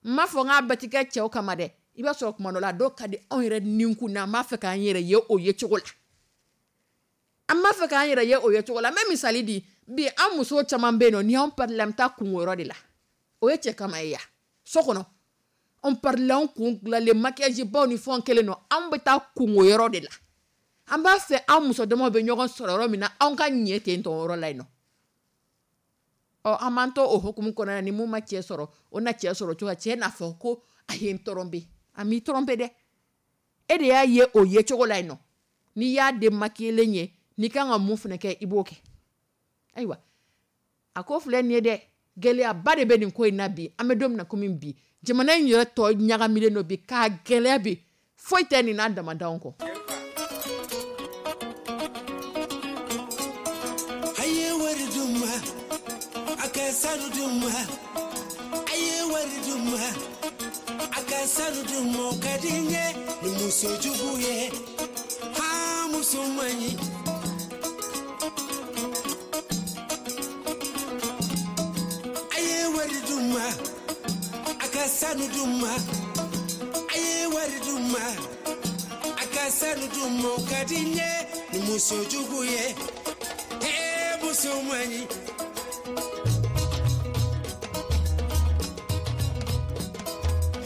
S2: N m'a fɔ n k'a bɛɛ ti kɛ cɛw kama dɛ. I b'a sɔrɔ kuma dɔ la, dɔw ka di anw yɛrɛ ninkun na, an b'a fɛ k'an yɛrɛ ye o ye cogo la. An b'a fɛ k'an yɛrɛ ye o ye cogo la. N bɛ misali di. Bi an musow caman bɛ yen nɔ, ni y'anw parila, an bɛ taa kungo yɔrɔ de la. O ye cɛ kama ye ya. So kɔnɔ, anw parila, anw kun dilanlen, maquillage baw ni fɛnw kɛlen don, anw bɛ taa kungo yɔrɔ de la. An b'a fɛ an muso damaw bɛ ɲɔgɔn sɔrɔ yɔrɔ min na, anw ka ɲɛ ten tɔn yɔrɔ la yen nɔ. Ɔ, an b'an to o hukumu kɔnɔna na, ni mun ma cɛ sɔrɔ, o na cɛ sɔrɔ cogo cɛ n'a fɔ ko a ye n tromper. A m'i tromper dɛ, e de y'a ye o ye cogo la yen nɔ. N'i y'a den maquillelen ye, n'i kan ka mun fana kɛ, i b'o kɛ. Ayiwa, a ko filɛ nin ye dɛ, gɛlɛyaba de bɛ nin ko in na bi. An bɛ don min na komi bi, jamana in yɛrɛ tɔ ɲagamilen don bi k'a gɛlɛya bi, foyi tɛ nin n'a damadanw kɔ.
S3: A ye wari d'u ma, a ka sanu d'u ma. A ye wari d'u ma, a ka sanu d'u ma. O ka di n ye ni muso jugu ye, ha, muso man ɲi. A ye wari d'u ma, a ka sanu d'u ma. A ye wari d'u ma, a ka sanu d'u ma. O ka di n ye ni muso jugu ye, ee, muso man ɲi.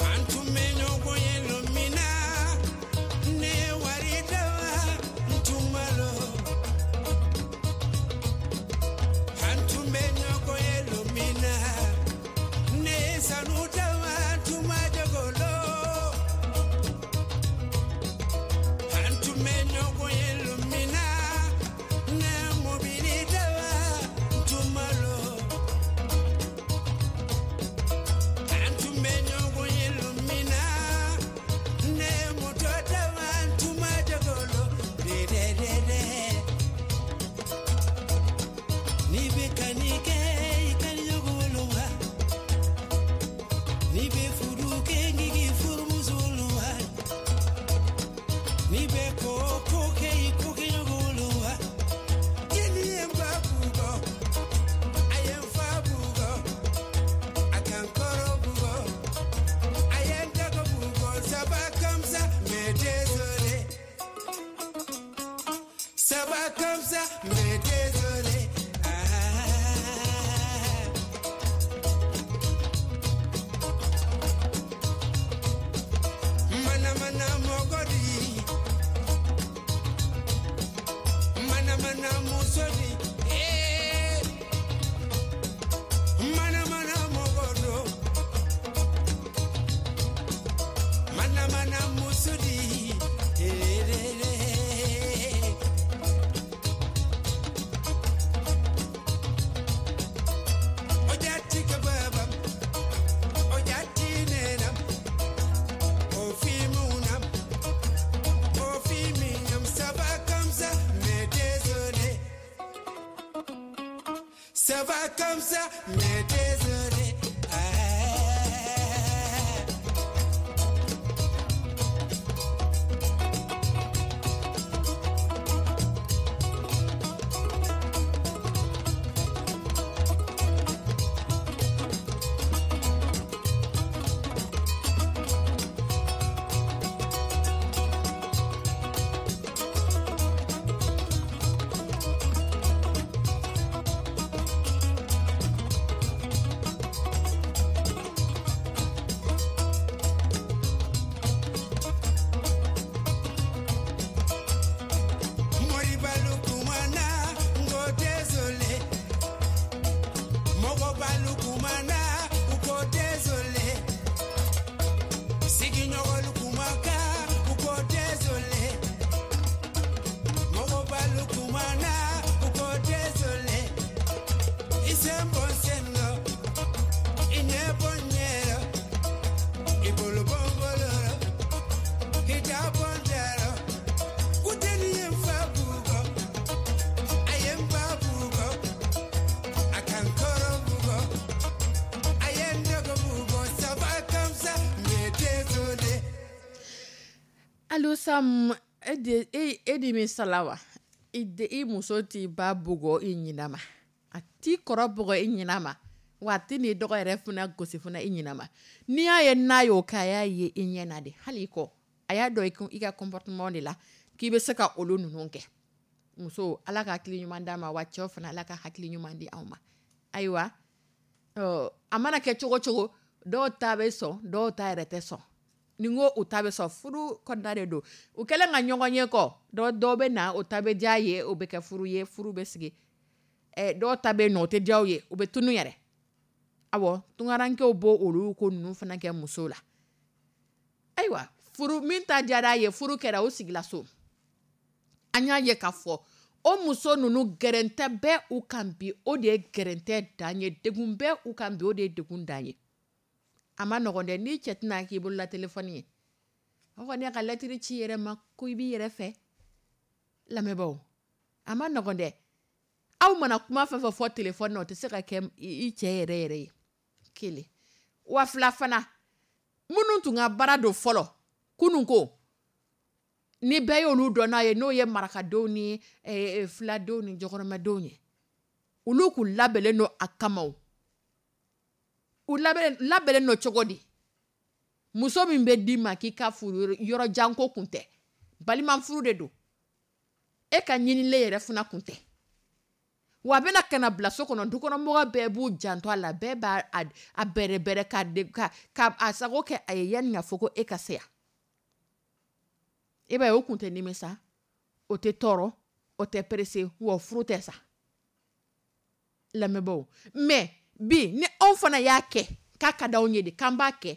S3: An tun bɛ ɲɔgɔn ye lon min na, ne ye wari dawa n tun ma lɔ. An tun bɛ ɲɔgɔn ye lon min na, ne ye sanu dawa n tun ma jago lɔ. An tun bɛ ɲɔgɔn ye lon min na, ne ye mobili dawa n tun ma lɔ. An tun bɛ ɲɔgɔn ye lon min na, ne ye moto dawa n tun ma jago lɔ. De de de de. N'i bɛ ka nin kɛ, i ka nin ɲɔgɔn wolo wa. N'i bɛ furu kɛ, k'i k'i furumuso wolo wa. N'i bɛ ko o ko kɛ, i k'o kɛ ɲɔgɔn wolo wa. Jeli ye n ba bugɔ, a ye n fa bugɔ, a ka n kɔrɔ bugɔ, a ye n dɔgɔ bugɔ. Ça va comme ça, mais désolé. Ça va comme ça, mais désolé. Ah. Mana mana mɔgɔ di, mana mana muso di, eh. Mana mana mɔgɔ do, mana mana muso di, eh, eh, eh. O jati ka babam, o jati nenam, o fi munam, o fi minyam. Ça va comme ça, mais désolé. Ça va comme ça, mais désolé. Ah. Kumana u ko désolé. I sen bɔ n sen rɔ, i ɲɛ bɔ n ɲɛ rɔ, i bolo bɔ n bolo rɔ, i da bɔ n da rɔ. Ko deni ye n fa bugɔ, a ye n ba bugɔ, a ka n kɔrɔ bugɔ, a ye n dɔgɔ bugɔ. Ça va comme ça, mais désolé.
S2: Allo Sam, e de e de min sala wa i de i muso t'i ba bugɔ i ɲina ma, a t'i kɔrɔ bugɔ i ɲina ma, wa a tɛ n'i dɔgɔ yɛrɛ fana gosi fana i ɲina ma. N'i y'a ye n'a y'o kɛ, a y'a ye i ɲɛ na de. Hali i kɔ, a y'a dɔn i ka comportement de la k'i bɛ se ka olu ninnu kɛ. Muso, Ala ka hakili ɲuman d'a ma, wa cɛw fana, Ala ka hakili ɲuman di anw ma. Ayiwa, a mana kɛ cogo cogo, dɔw ta bɛ sɔn, dɔw ta yɛrɛ tɛ sɔn. Ni n ko u ta bɛ sɔn, furu kɔnɔna de don. U kɛlen ka ɲɔgɔn ye kɔ, dɔ dɔw bɛ na, o ta bɛ diya ye, o bɛ kɛ furu ye, furu bɛ sigi. Dɔw ta bɛ yen nɔ, o tɛ diya u ye, u bɛ tunu yɛrɛ. Awɔ, tunkarankew b'o olu ko ninnu fana kɛ musow la. Ayiwa, furu min ta diyara a ye, furu kɛra, o sigila so. An y'a ye k'a fɔ o muso ninnu, gɛrɛntɛ bɛ u kan bi, o de ye gɛrɛntɛ dan ye. Degun bɛ u kan bi, o de ye degun dan ye. A ma nɔgɔn dɛ. N'i cɛ tɛna k'i bolola telefɔni ye, o kɔni y'a ka lɛtiri ci i yɛrɛ ma ko i b'i yɛrɛ fɛ. Lamɛnbaaw, a ma nɔgɔn dɛ. Aw mana kuma fɛn fɛn fɔ telefɔni na, o tɛ se ka kɛ i cɛ yɛrɛ yɛrɛ ye. Kelen wa fila fana, minnu tun ka baara don fɔlɔ kunun ko ni bɛɛ y'olu dɔn n'a ye, n'o ye marakadenw ni filadenw ni jɔkɔrɔmɛdenw ye, olu kun labɛnnen don a kama. O u labɛnnen don cogo di? Muso min bɛ d'i ma k'i ka furu, yɔrɔ janko kun tɛ, balima furu de don, e ka ɲinilen yɛrɛ fana kun tɛ. Wa a bɛna ka na bila so kɔnɔ, dukɔnɔmɔgɔ bɛɛ b'u janto a la, bɛɛ b'a a bɛrɛbɛrɛ ka ka a sago kɛ a ye yanni ka fɔ ko e ka se yan. E b'a ye, o kun tɛ nimisa, o tɛ tɔɔrɔ, o tɛ pressé, wa furu tɛ sa. Lamɛnbaaw, mais bi ni anw fana y'a kɛ k'a ka d'anw ye de k'an b'a kɛ,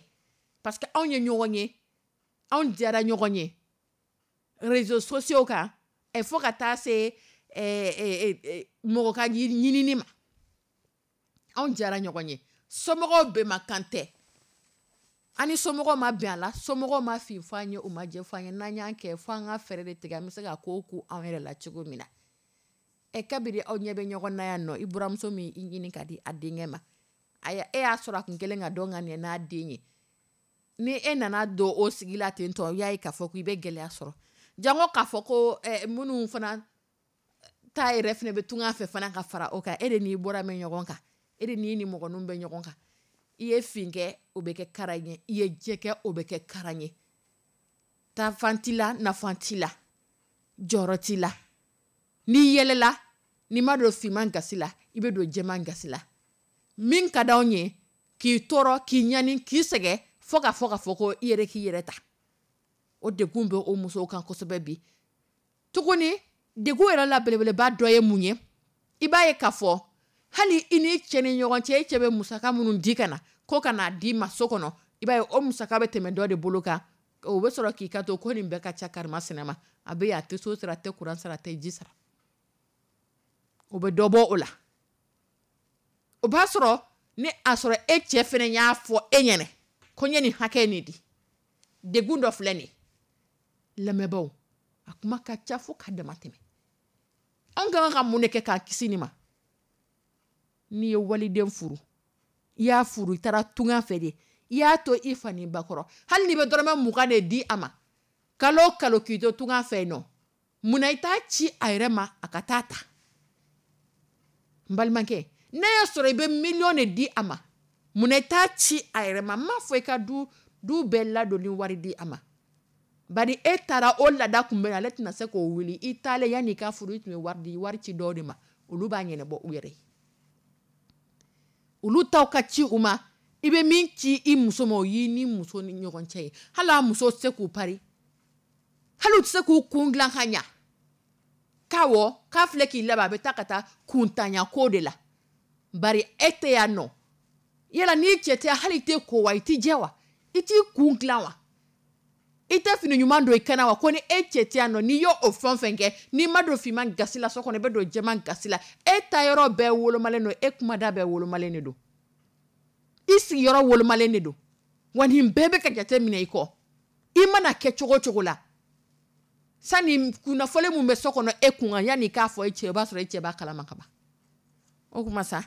S2: parce que anw ye ɲɔgɔn ye, anw diyara ɲɔgɔn ye réseaux sociaux kan, fo ka taa se mɔgɔ ka ɲinini ma, anw diyara ɲɔgɔn ye, somɔgɔw bɛnmakan tɛ, an ni somɔgɔw ma bɛn a la, somɔgɔw ma fin fɔ an ye, u ma jɛ fɔ an ye. N'an y'an kɛ fo an ka fɛɛrɛ de tigɛ, an bɛ se ka ko ku anw yɛrɛ la cogo min na. Kabiri aw ɲɛ bɛ ɲɔgɔn na yan nɔ, i buramuso min i ɲini ka di a denkɛ ma, e y'a sɔrɔ a kun kɛlen ka dɔn ka ɲɛ n'a den ye, ni e nana don o sigi la ten tɔ, i y'a ye k'a fɔ k'i bɛ gɛlɛya sɔrɔ. Jango k'a fɔ ko minnu fana ta yɛrɛ fana bɛ tunga fɛ fana ka fara o kan. E de n'i bɔra mɛn ɲɔgɔn kan, e de n'i ni mɔgɔninw bɛ ɲɔgɔn kan. I ye fin kɛ, o bɛ kɛ kara ye, i ye jɛ kɛ, o bɛ kɛ kara ye. Taafan t'i la, nafan t'i la, jɔyɔrɔ t'i la. N'i yɛlɛla, n'i ma don finman gasi la, i bɛ don jɛman gasi la. Min ka d'anw ye, k'i tɔɔrɔ, k'i ɲani, k'i sɛgɛn, fo ka fɔ k'a fɔ ko i yɛrɛ k'i yɛrɛ ta, o degun bɛ o musow kan kosɛbɛ bi. Tuguni, degun yɛrɛ la belebeleba dɔ ye mun ye? I b'a ye k'a fɔ hali i ni cɛ ni ɲɔgɔn cɛ, e cɛ bɛ musaka minnu di ka na ko ka n'a d'i ma so kɔnɔ, i b'a ye o musaka bɛ tɛmɛ dɔ de bolo kan. O bɛ sɔrɔ k'i ka to ko nin bɛɛ ka ca karimasina ma, a bɛ yan, a tɛ so sara, a tɛ kuran sara, a tɛ ji sara. O bɛ dɔ bɔ o la. O b'a sɔrɔ ni a sɔrɔ e cɛ fana y'a fɔ e ɲɛna ko n ye nin hakɛ nin di. Degun dɔ filɛ nin ye. Lamɛnbaaw, a kuma ka ca fo ka dama tɛmɛ. Anw ka kan ka mun de kɛ k'an kisi nin ma? N'i ye waliden furu, i y'a furu, i taara tunga fɛ de, i y'a to i fa ni ba kɔrɔ, hali n'i bɛ dɔrɔmɛ 20 de di a ma kalo o kalo k'i to tunga fɛ yen nɔ, munna i t'a ci a yɛrɛ ma a ka taa ta? N balimakɛ, n'a y'a sɔrɔ i bɛ miliyɔn de di a ma, munna i t'a ci a yɛrɛ ma? N m'a fɔ i ka du bɛɛ ladon ni wari di a ma, bari e taara o laada kun bɛ, ale tɛna se k'o wuli. I taalen, yanni i ka furu, i tun bɛ wari di, wari ci dɔw de ma, olu b'a ɲɛnabɔ u yɛrɛ ye. Olu taw ka ci u ma. I bɛ min ci i muso ma, o y'i ni muso ni ɲɔgɔn cɛ ye. Hali a muso tɛ se k'u pari, hali u tɛ se k'u kun dilan ka ɲa k'a wɔ k'a filɛ k'i labɛn, a bɛ taa ka taa kuntanya ko de la, bari e tɛ yan nɔ. Yala n'i cɛ tɛ, hali i tɛ ko wa, i tɛ jɛ wa, i t'i kun dilan wa? I tɛ fini ɲuman don i kan na wa? Ko ni e cɛ tɛ yan nɔ, n'i y'o o fɛn o fɛn kɛ, n'i ma don finman gasi la so kɔnɔ, i bɛ don jɛman gasi la. E ta yɔrɔ bɛɛ wolomalen don, e kumada bɛɛ wolomalen de don, i sigiyɔrɔ wolomalen de don. Wa nin bɛɛ bɛ ka jate minɛ i kɔ. I mana kɛ cogo o cogo la, sani kunnafoni min bɛ so kɔnɔ e kun kan, yanni i k'a fɔ e cɛ, o b'a sɔrɔ e cɛ b'a kalama ka ban. O kuma sa,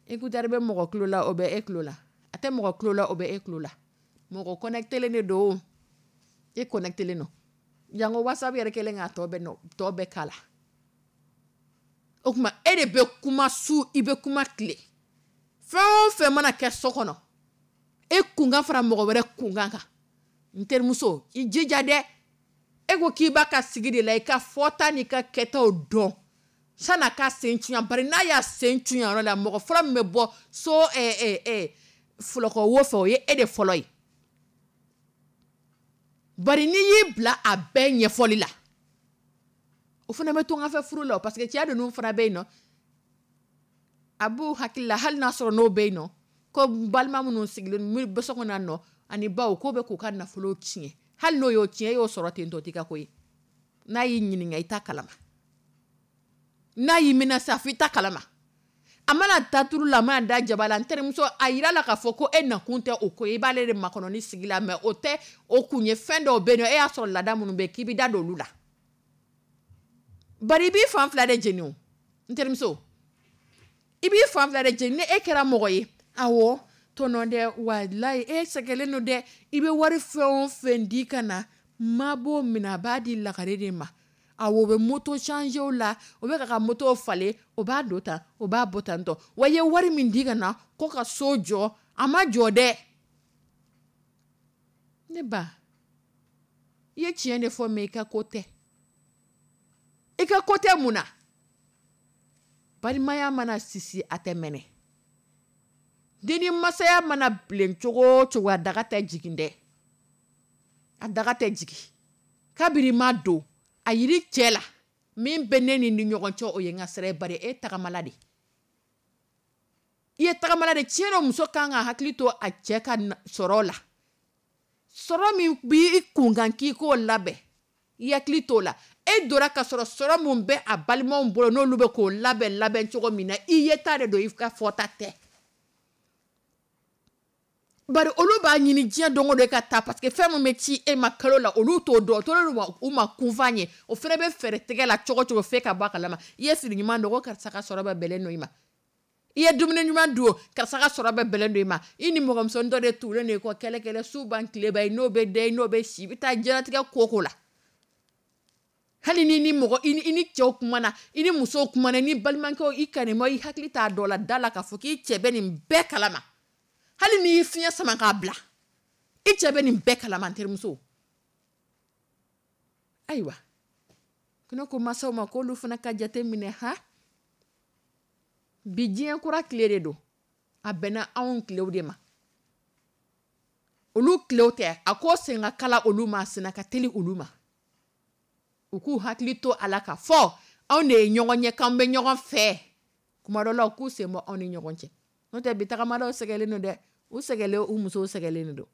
S2: écouteur bɛ mɔgɔ tulo la, o bɛ e tulo la, a tɛ mɔgɔ tulo la, o bɛ e tulo la. Mɔgɔ connecté de don, e connecté don. Jango WhatsApp yɛrɛ kɛlen k'a tɔ bɛɛ nɔ tɔ bɛɛ k'a la. O tuma e de bɛ kuma su, i bɛ kuma tile. Fɛn o fɛn mana kɛ so kɔnɔ, e kunkan fara mɔgɔ wɛrɛ kunkan kan. N terimuso, i jija dɛ. E ko k'i b'a ka sigi de la, i ka fɔta n'i ka kɛtaw dɔn san'a ka sen cuyan. Bari n'a y'a sen cuyan yɔrɔ la, mɔgɔ fɔlɔ min bɛ bɔ so fulɔkɔ wo fɛ, o ye e de fɔlɔ ye. Bari n'i y'i bila a bɛɛ ɲɛfɔli la, o fana bɛ to n ka fɛ furu la, parce que cɛ ninnu fana bɛ yen nɔ, a b'u hakili la, hali n'a sɔrɔ n'o bɛ yen nɔ, ko balima minnu sigilen bɛ so kɔnɔ nɔ ani baw, k'o bɛ k'u ka nafolo tiɲɛ. Hali n'o y'o tiɲɛ, e y'o sɔrɔ ten tɔ, t'i ka ko ye. N'a y'i ɲininka, i t'a kalama. N'a y'i menacer, a fɔ i t'a kalama. A mana da turu la, a mana da jaba la, n terimuso, a yira la k'a fɔ ko e nakun tɛ o ko ye, i b'ale de makɔnɔ ni sigi la, mais o tɛ o kun ye. Fɛn dɔw bɛ yen nɔ, e y'a sɔrɔ laada minnu bɛ yen, k'i bɛ da don olu la. Bari i b'i fan fila de jeni o, n terimuso, i b'i fan fila de jeni. Ni e kɛra mɔgɔ ye, awɔ tɔnɔ dɛ, walayi e sɛgɛnlen don dɛ, i bɛ wari fɛn o fɛn di ka na, ma b'o minɛ, a b'a di lagare de ma. Awɔ, o bɛ moto changer la, o bɛ ka moto falen, o b'a don tan, o b'a bɔ tan tɔ. Wa i ye wari min di ka na ko ka so jɔ, a ma jɔ dɛ. Ne ba, i ye tiɲɛ de fɔ, mais i ka ko tɛ. I ka ko tɛ mun na? Balimaya mana sisi, a tɛ mɛnɛ. Den masaya mana bilen cogo o cogo, a daga tɛ jigin dɛ, a daga tɛ jigin. Kabiri ma don a yiri cɛ la, min bɛ ne ni ɲɔgɔn cɛ, o ye n ka sira ye. Bari e tagamala de, i ye tagamala de. Tiɲɛ dɔ, muso kan ka hakili to a cɛ ka sɔrɔ la. Sɔrɔ min b'i kun kan k'i k'o labɛn, i hakili t'o la. E donna ka sɔrɔ sɔrɔ min bɛ a balimaw bolo, n'olu bɛ k'o labɛn labɛn cogo min na, i ye ta de don, i ka fɔta tɛ. Bari olu b'a ɲini diɲɛ don o don ka taa, parce que fɛn min bɛ ci e ma kalo la, olu t'o dɔn, o tora u ma kunfan ye. O fana bɛ fɛɛrɛ tigɛ la cogo cogo f'e ka bɔ a kalama. I ye fini ɲuman don ko karisa ka sɔrɔ bɛ bɛlɛn don i ma. I ye dumuni ɲuman dun, karisa ka sɔrɔ bɛ bɛlɛn don i ma. I ni mɔgɔmusonin dɔ de tugulen don i kɔ kɛlɛ kɛlɛ, su ban tile ban, i n'o bɛ da, i n'o bɛ si, i bɛ taa diɲɛlatigɛ ko ko la. Hali ni ni mɔgɔ i ni cɛw kumana, i ni musow kumana, i ni balimakɛw, i kanima, i hakili t'a dɔ la, da la k'a fɔ k'i cɛ bɛ nin bɛɛ kalama. Hali n'i y'i fiɲɛ sama k'a bila, i cɛ bɛ nin bɛɛ kalama, n terimuso. Ayiwa, ko ne ko masaw ma k'olu fana ka jate minɛ ha. Bi diɲɛ kura tile de don, a bɛnna anw tilew de ma, olu tilew tɛ. A ko sen ka kala olu ma, a sen ka teli olu ma. U k'u hakili to a la k'a fɔ anw de ye ɲɔgɔn ye, k'an bɛ ɲɔgɔn fɛ. Kuma dɔ la, u k'u sen bɔ anw ni ɲɔgɔn cɛ. N'o tɛ, bi tagamadaw sɛgɛnlen don dɛ, u sɛgɛnlen, u musow sɛgɛnlen de don.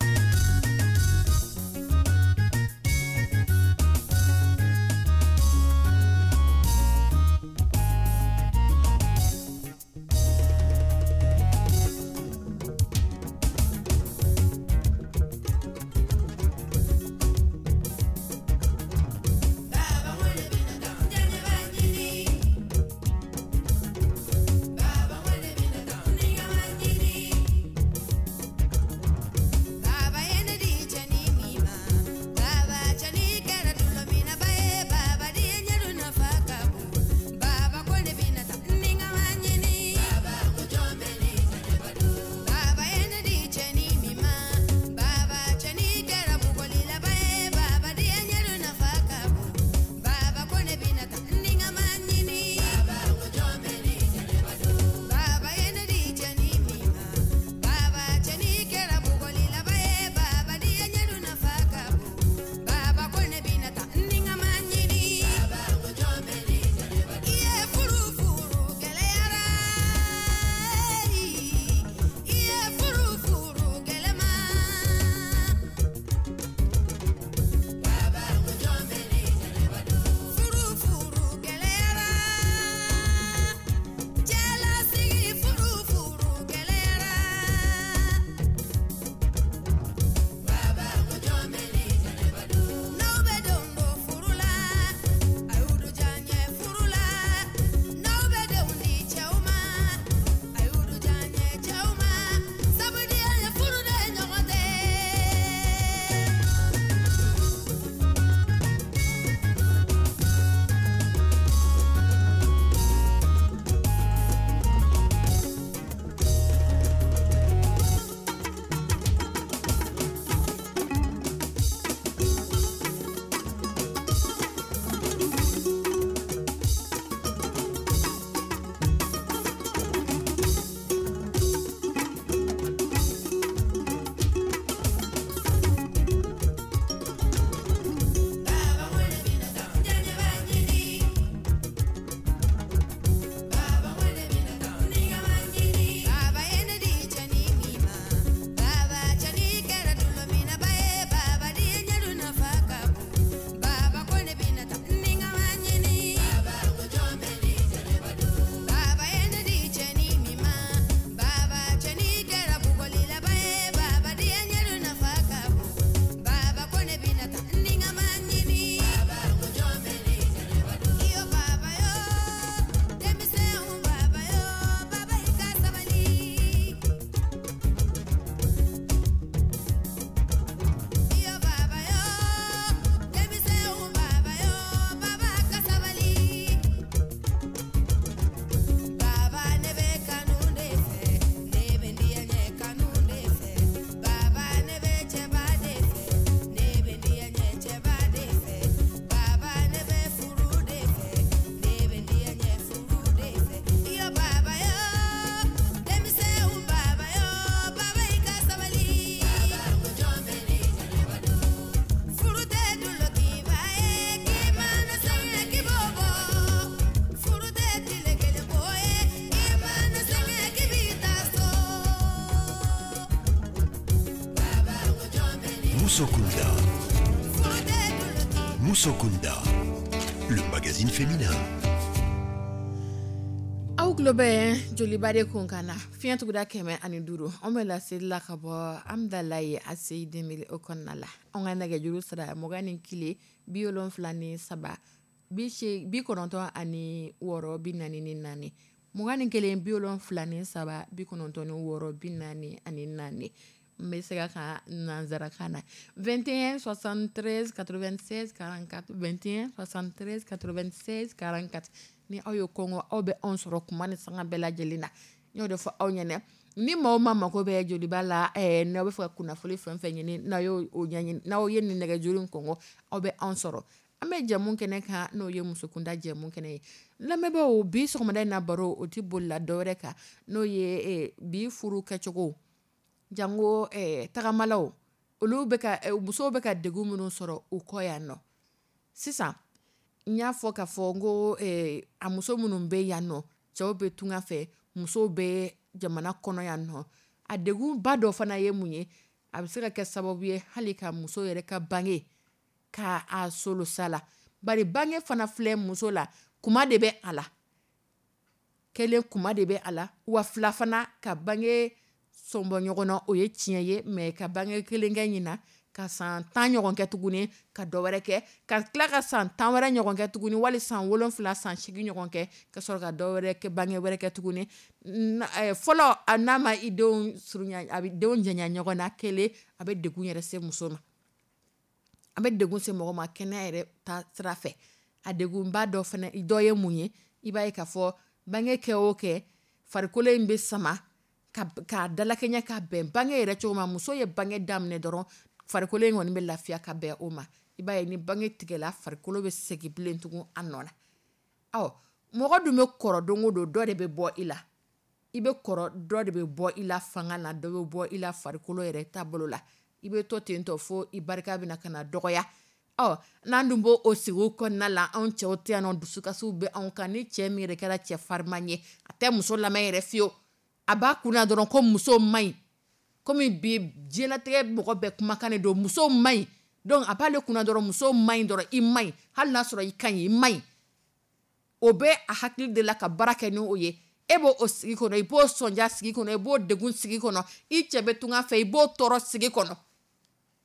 S1: Musokunda. Musokunda, le magazine féminin.
S2: Aw tulo bɛ Joliba de kunkan na fiɲɛ tuguda 105, anw bɛ laseli la ka bɔ Amidalayi ACI 2000 o kɔnɔna la, anw ka nɛgɛjuru sira 21 73 96 44, 21 73 96 44 n bɛ segin a kan nansarakan na 21 73 96 44, 21 73 96 44 ni aw ye kɔngɔ aw bɛ anw sɔrɔ kuma ni sanga bɛɛ lajɛlen na n y'o de fɔ aw ɲɛna ni maaw ma mako bɛ Joliba la n'aw bɛ fɛ ka kunnafoni fɛn fɛn ɲini n'aw y'o ɲɛɲini n'aw ye nin nɛgɛjuru in kɔngɔ aw bɛ anw sɔrɔ an bɛ jɛmu kɛnɛ kan n'o ye musokunda jɛmu kɛnɛ ye lamɛnbaaw bi sɔgɔmada in na baro o tɛ bolila dɔwɛrɛ kan n'o ye bi furu kɛcogo jango tagamalaw olu bɛ ka musow bɛ ka degun minnu sɔrɔ u kɔ yan nɔ sisan n y'a fɔ k'a fɔ n ko a muso minnu bɛ yan nɔ cɛw bɛ tunga fɛ musow bɛ jamana kɔnɔ yan nɔ a degunba dɔ fana ye mun ye a bɛ se ka kɛ sababu ye hali ka muso yɛrɛ ka bange ka a solosa la bari bange fana filɛ muso la kuma de bɛ a la kelen kuma de bɛ a la wa fila fana ka bange sɔnbɔ ɲɔgɔn na o ye tiɲɛ ye mais ka bange kelen kɛ ɲina ka san 10 ɲɔgɔn kɛ tuguni ka dɔ wɛrɛ kɛ ka tila ka san 10 wɛrɛ ɲɔgɔn kɛ tuguni wali san 7 san 8 ɲɔgɔn kɛ ka sɔrɔ ka dɔ wɛrɛ kɛ bange wɛrɛ kɛ tuguni fɔlɔ n'a ma i denw surunya a bɛ denw janya ɲɔgɔn na kelen a bɛ degun yɛrɛ se muso ma a bɛ degun se mɔgɔ ma kɛnɛya yɛrɛ ta sira fɛ a degunba dɔ fana dɔ ye mun ye i b'a ye k'a fɔ bange kɛ o kɛ farikolo in bɛ sama k'a dalakɛɲɛ ka bɛn bange yɛrɛ cogo ma muso ye bange daminɛ dɔrɔn farikolo in kɔni bɛ lafiya ka bɛn o ma i b'a ye ni bange tigɛla farikolo bɛ segin bilen tugun a nɔ na ɔ mɔgɔ dun bɛ kɔrɔ don o don dɔ de bɛ bɔ i la i bɛ kɔrɔ dɔ de bɛ bɔ i la fanga na dɔ bɛ bɔ i la farikolo yɛrɛ taabolo la i bɛ to ten tɔ fo i barika bɛna ka na dɔgɔya ɔ n'an dun b'o o sigi kɔnɔna la anw cɛw tɛ yan nɔ dusukasiw bɛ anw kan ni cɛ min yɛrɛ kɛra cɛ fariman ye a tɛ muso lamɛn yɛrɛ fiyewu a b'a kunna dɔrɔn ko muso man ɲi komi bi diɲɛlatigɛ mɔgɔ bɛɛ kumakan de don muso man ɲi donc a b'ale kunna dɔrɔn muso man ɲi dɔrɔn i man ɲi hali n'a sɔrɔ i ka ɲi i man ɲi o bɛ a hakili de la ka baara kɛ ni o ye e b'o o sigi kɔnɔ i b'o sɔnja sigi kɔnɔ i b'o degun sigi kɔnɔ i cɛ bɛ tunga fɛ i b'o tɔɔrɔ sigi kɔnɔ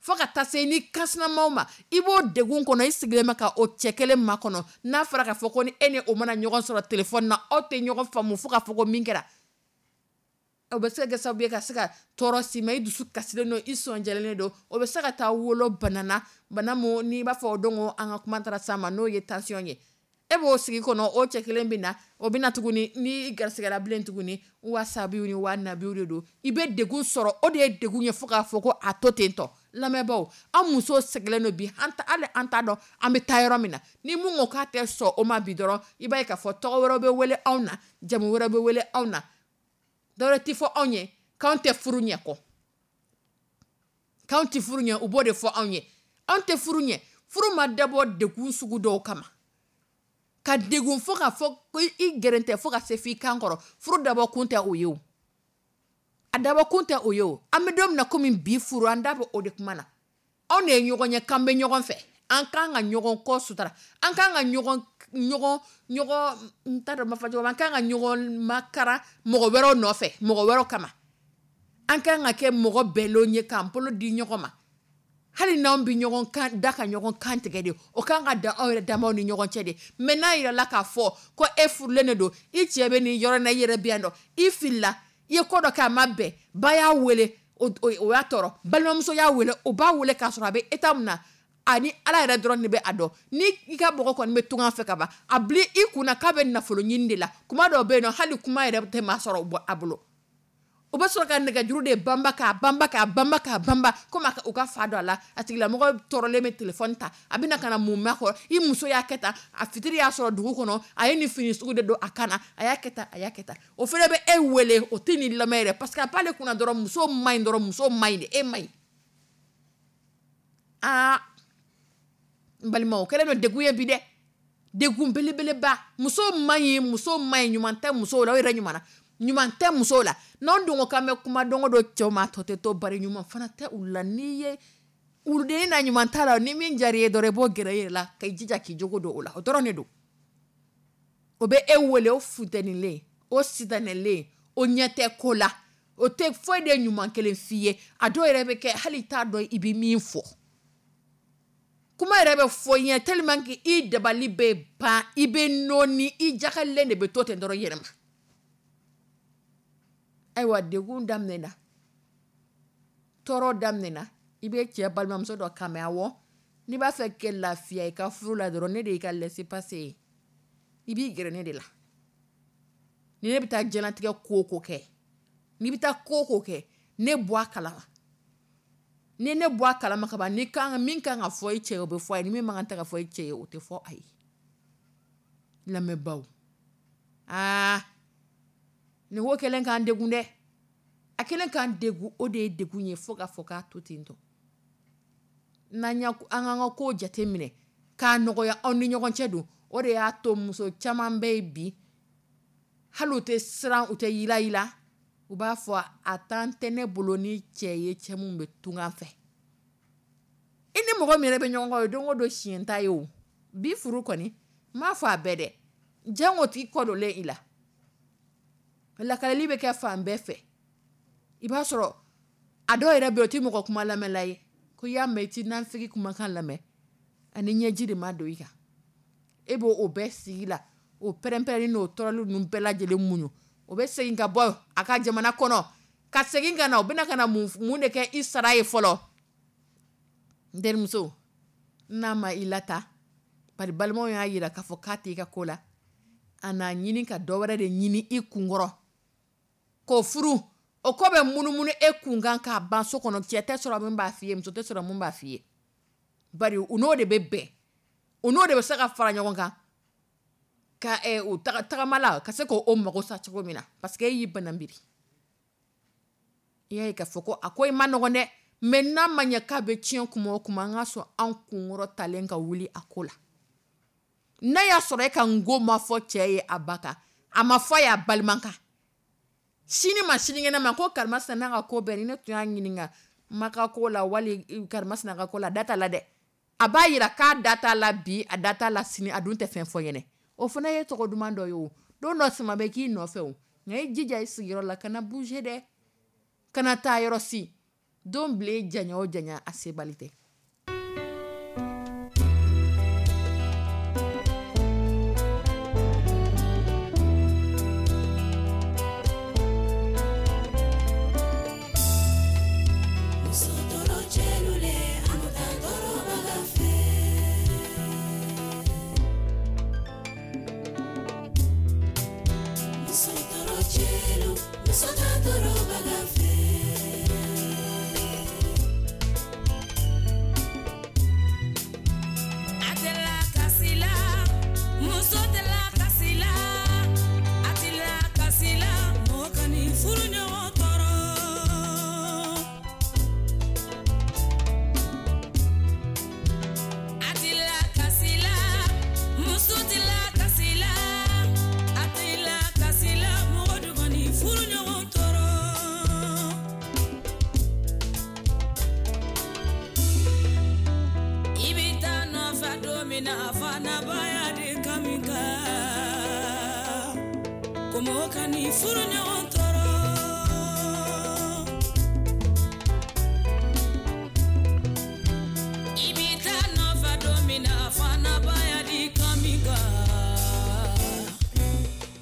S2: fo ka taa se ni kansinamaw ma i b'o degun kɔnɔ i sigilen bɛ ka o cɛ kelen makɔnɔ n'a fɔra k'a fɔ ko ni e ni o mana ɲɔgɔn sɔrɔ telefɔni na aw tɛ ɲɔgɔn faamu fo k'a fɔ ko min kɛra o bɛ se ka kɛ sababu ye ka se ka tɔɔrɔ s'i ma i dusu kasilen don i sɔnjalen don o bɛ se ka taa wolo bana na bana mun n'i b'a fɔ o don an ka kuma taara s'a ma n'o ye tension ye e b'o sigi kɔnɔ o cɛ kelen bɛ na o bɛ na tuguni ni garisigɛra bilen tuguni wa sabiw ni wa nabiw de don i bɛ degun sɔrɔ o de ye degun ye fo k'a fɔ ko a to ten tɔ lamɛnbaaw an musow sɛgɛnnen don bi hali an t'a dɔn an bɛ taa yɔrɔ min na ni mun ko k'a tɛ sɔn o ma bi dɔrɔn i b'a ye k'a fɔ tɔgɔ wɛrɛ bɛ wele anw na jamu wɛrɛ bɛ wele anw na dɔwɛrɛ tɛ fɔ anw ye k'anw tɛ furu ɲɛ kɔ k'anw tɛ furu ɲɛ u b'o de fɔ anw ye anw tɛ furu ɲɛ furu ma dabɔ degun sugu dɔw kama ka degun fo k'a fɔ ko i gɛrɛntɛ fo ka se f'i kan kɔrɔ furu dabɔ kun tɛ o ye o a dabɔ kun tɛ o ye o an bɛ don min na komi bi furu an da bɛ o de kuma na anw de ye ɲɔgɔn ye k'an bɛ ɲɔgɔn fɛ an kan ka ɲɔgɔn kɔ sutura an kan ka ɲɔgɔn ɲɔgɔn ɲɔgɔn n t'a dɔn n b'a fɔ cogo min an kan ka ɲɔgɔn makara mɔgɔ wɛrɛw nɔfɛ mɔgɔ wɛrɛw kama an kan ka kɛ mɔgɔ bɛnlenw ye k'an bolo di ɲɔgɔn ma hali n'anw bɛ ɲɔgɔn kan da ka ɲɔgɔn kan tigɛ de o kan ka dan anw yɛrɛ damaw ni ɲɔgɔn cɛ de mais n'a yirala k'a fɔ ko e furulen de don i cɛ bɛ nin yɔrɔ in na i yɛrɛ bɛ yan nɔ i filila i ye ko dɔ kɛ a ma bɛn ba y'a wele o y'a tɔɔrɔ balimamuso y'a wele o b'a wele k'a sɔrɔ a bɛ état min na ani ala yɛrɛ dɔrɔn de bɛ a dɔn ni i ka mɔgɔ kɔni bɛ tunga fɛ ka ban a bila i kunna k'a bɛ nafolo ɲini de la kuma dɔw bɛ yen nɔ hali kuma yɛrɛ tɛ maa sɔrɔ a bolo o bɛ sɔrɔ ka nɛgɛjuru de banba k'a banba k'a banba k'a banba komi u ka fa don a la a tigilamɔgɔ tɔɔrɔlen bɛ telefɔni ta a bɛna ka na mun makɔrɔ i muso y'a kɛ tan a fitiri y'a sɔrɔ dugu kɔnɔ a ye nin fini sugu de don a kan na a y'a kɛ tan a y'a kɛ tan o fana bɛ e wele o tɛ nin lamɛn yɛrɛ parce que a b'ale kunna dɔrɔn muso man ɲi dɔrɔn muso man ɲi de e man ɲi aa n balimaw o kɛlen don degun ye bi dɛ degun belebeleba muso man ɲi muso man ɲi ɲuman tɛ musow la o yɛrɛ ɲuman na ɲuman tɛ musow la n'anw dun ko k'an bɛ kuma don o don cɛw ma tɔ tɛ to bari ɲuman fana tɛ u la n'i ye Wuludennin na ɲuman t'a la, ni min diyara i ye dɔrɔn, i b'o gɛrɛ i yɛrɛ la ka i jija k'i jogo don o la, o dɔrɔn de don. O bɛ e wele, o funtenilen, o sitanɛlen, o ɲɛ tɛ ko la, o tɛ foyi de ɲuman kelen f'i ye. A dɔw yɛrɛ bɛ kɛ hali i t'a dɔn i bɛ min fɔ. Kuma yɛrɛ bɛ fɔ i ɲɛ tellement que i dabali bɛ ban, i bɛ nɔɔni, i jakalen de bɛ to ten dɔrɔn i yɛrɛ ma. Ayiwa, degun daminɛna, tɔɔrɔ daminɛna. I bɛ cɛ balimamuso dɔ kan mɛn, awɔ, n'i b'a fɛ kɛ lafiya i ka furu la dɔrɔn, ne de y'i ka laissez-passer ye, i b'i gɛrɛ ne de la. Ni ne bɛ taa diɲɛlatigɛ ko o ko kɛ, n'i bɛ taa ko o ko kɛ, ne bɔ a kalama. Ni ne bɔ a kalama ka ban, ni kan min kan ka fɔ i cɛ ye, o bɛ fɔ a ye, ni min man kan tɛ ka fɔ i cɛ ye, o tɛ fɔ a ye. Lamɛnbaw, aa nin ko kɛlen k'an degun dɛ, a kɛlen k'an degun, o de ye degun ye fo k'a fɔ k'a to ten tɔ. N'an y'a an k'an ka kow jateminɛ k'a nɔgɔya anw ni ɲɔgɔn cɛ don. O de y'a to muso caman bɛ yen bi, hali u tɛ siran, u tɛ yilayila, u b'a fɔ a temps tɛ ne bolo ni cɛ ye, cɛ min bɛ tunga fɛ. I ni mɔgɔ min yɛrɛ bɛ ɲɔgɔn kan, o ye don o don siɲɛ ta ye o. Bi furu kɔni, n m'a fɔ a bɛɛ dɛ, jango t'i kɔ donlen i la. Lakaleli bɛ kɛ fan bɛɛ fɛ. I b'a sɔrɔ a dɔw yɛrɛ bɛ yen, o tɛ mɔgɔ kuma lamɛnla ye. Ko i y'a mɛn i t'i nafigi kumakan lamɛn, ani ɲɛji de ma don i kan. E b'o o bɛɛ sigi la, o pɛrɛn-pɛrɛnni n'o tɔɔrɔli ninnu bɛɛ lajɛlen muɲu. O bɛ segin ka bɔ a ka jamana kɔnɔ ka segin ka na, o bɛna ka na mun de kɛ i sara ye fɔlɔ? N terimuso, n'a ma i lata, bari balimaw y'a jira k'a fɔ k'a t'i ka ko la, a n'a ɲini ka dɔ wɛrɛ de ɲini i kunkɔrɔ k'o furu. O ko bɛ munumunu e kunkan k'a ban so kɔnɔ. Cɛ tɛ sɔrɔ min b'a f'i ye, muso tɛ sɔrɔ min b'a f'i ye, bari u n'o de bɛ bɛn, u n'o de bɛ se ka fara ɲɔgɔn kan ka u tagama la ka se k'o mago sa cogo min na, parce que e y'i bananbiri. I y'a ye k'a fɔ ko a ko i ma nɔgɔn dɛ, mais n'a ma ɲɛ k'a bɛ tiɲɛ kuma o kuma, an ka sɔn an kunkɔrɔ talen ka wuli a ko la. N'a y'a sɔrɔ e ka n ko ma fɔ cɛ ye a ba kan, a ma fɔ a ye a balima kan, sini ma sinikɛnɛ ma, ko karimasina n'a ka ko bɛɛ, ni ne tun y'a ɲininka ma ka ko la wali karimasina ka ko la, a da t'a la dɛ. A b'a jira k'a da t'a la bi, a da t'a la sini, a dun tɛ fɛn fɔ ɲɛnɛ. O fana ye tɔgɔ duman dɔ ye o. Don dɔ sama bɛ k'i nɔfɛ o, nka i jija i sigiyɔrɔ la, kana bouger dɛ, kana taa yɔrɔ si. Don bilen janya o janya, a sebali tɛ.
S3: Muso tɔɔrɔ cɛlu le, anu ta tɔɔrɔbaga fɛ. Muso tɔɔrɔ cɛlu, muso ta tɔɔrɔbaga fɛ. A tɛ la kasi la, muso tɛ la kasi la, a tɛ la kasi la, mɔgɔ kan'i furu ɲɔgɔn tɔɔrɔ. A tɛ la kasi la, muso tɛ la kasi la, a tɛ la kasi la, mɔgɔ du kan'i furu ɲɔgɔn tɔɔrɔ. I bɛ taa nɔfɛ don min na, a fanabaya de kami kan, ko mɔgɔ kan'i furu ɲɔgɔn tɔɔrɔ. I bɛ taa nɔfɛ don min na, a fanabaya de kami kan,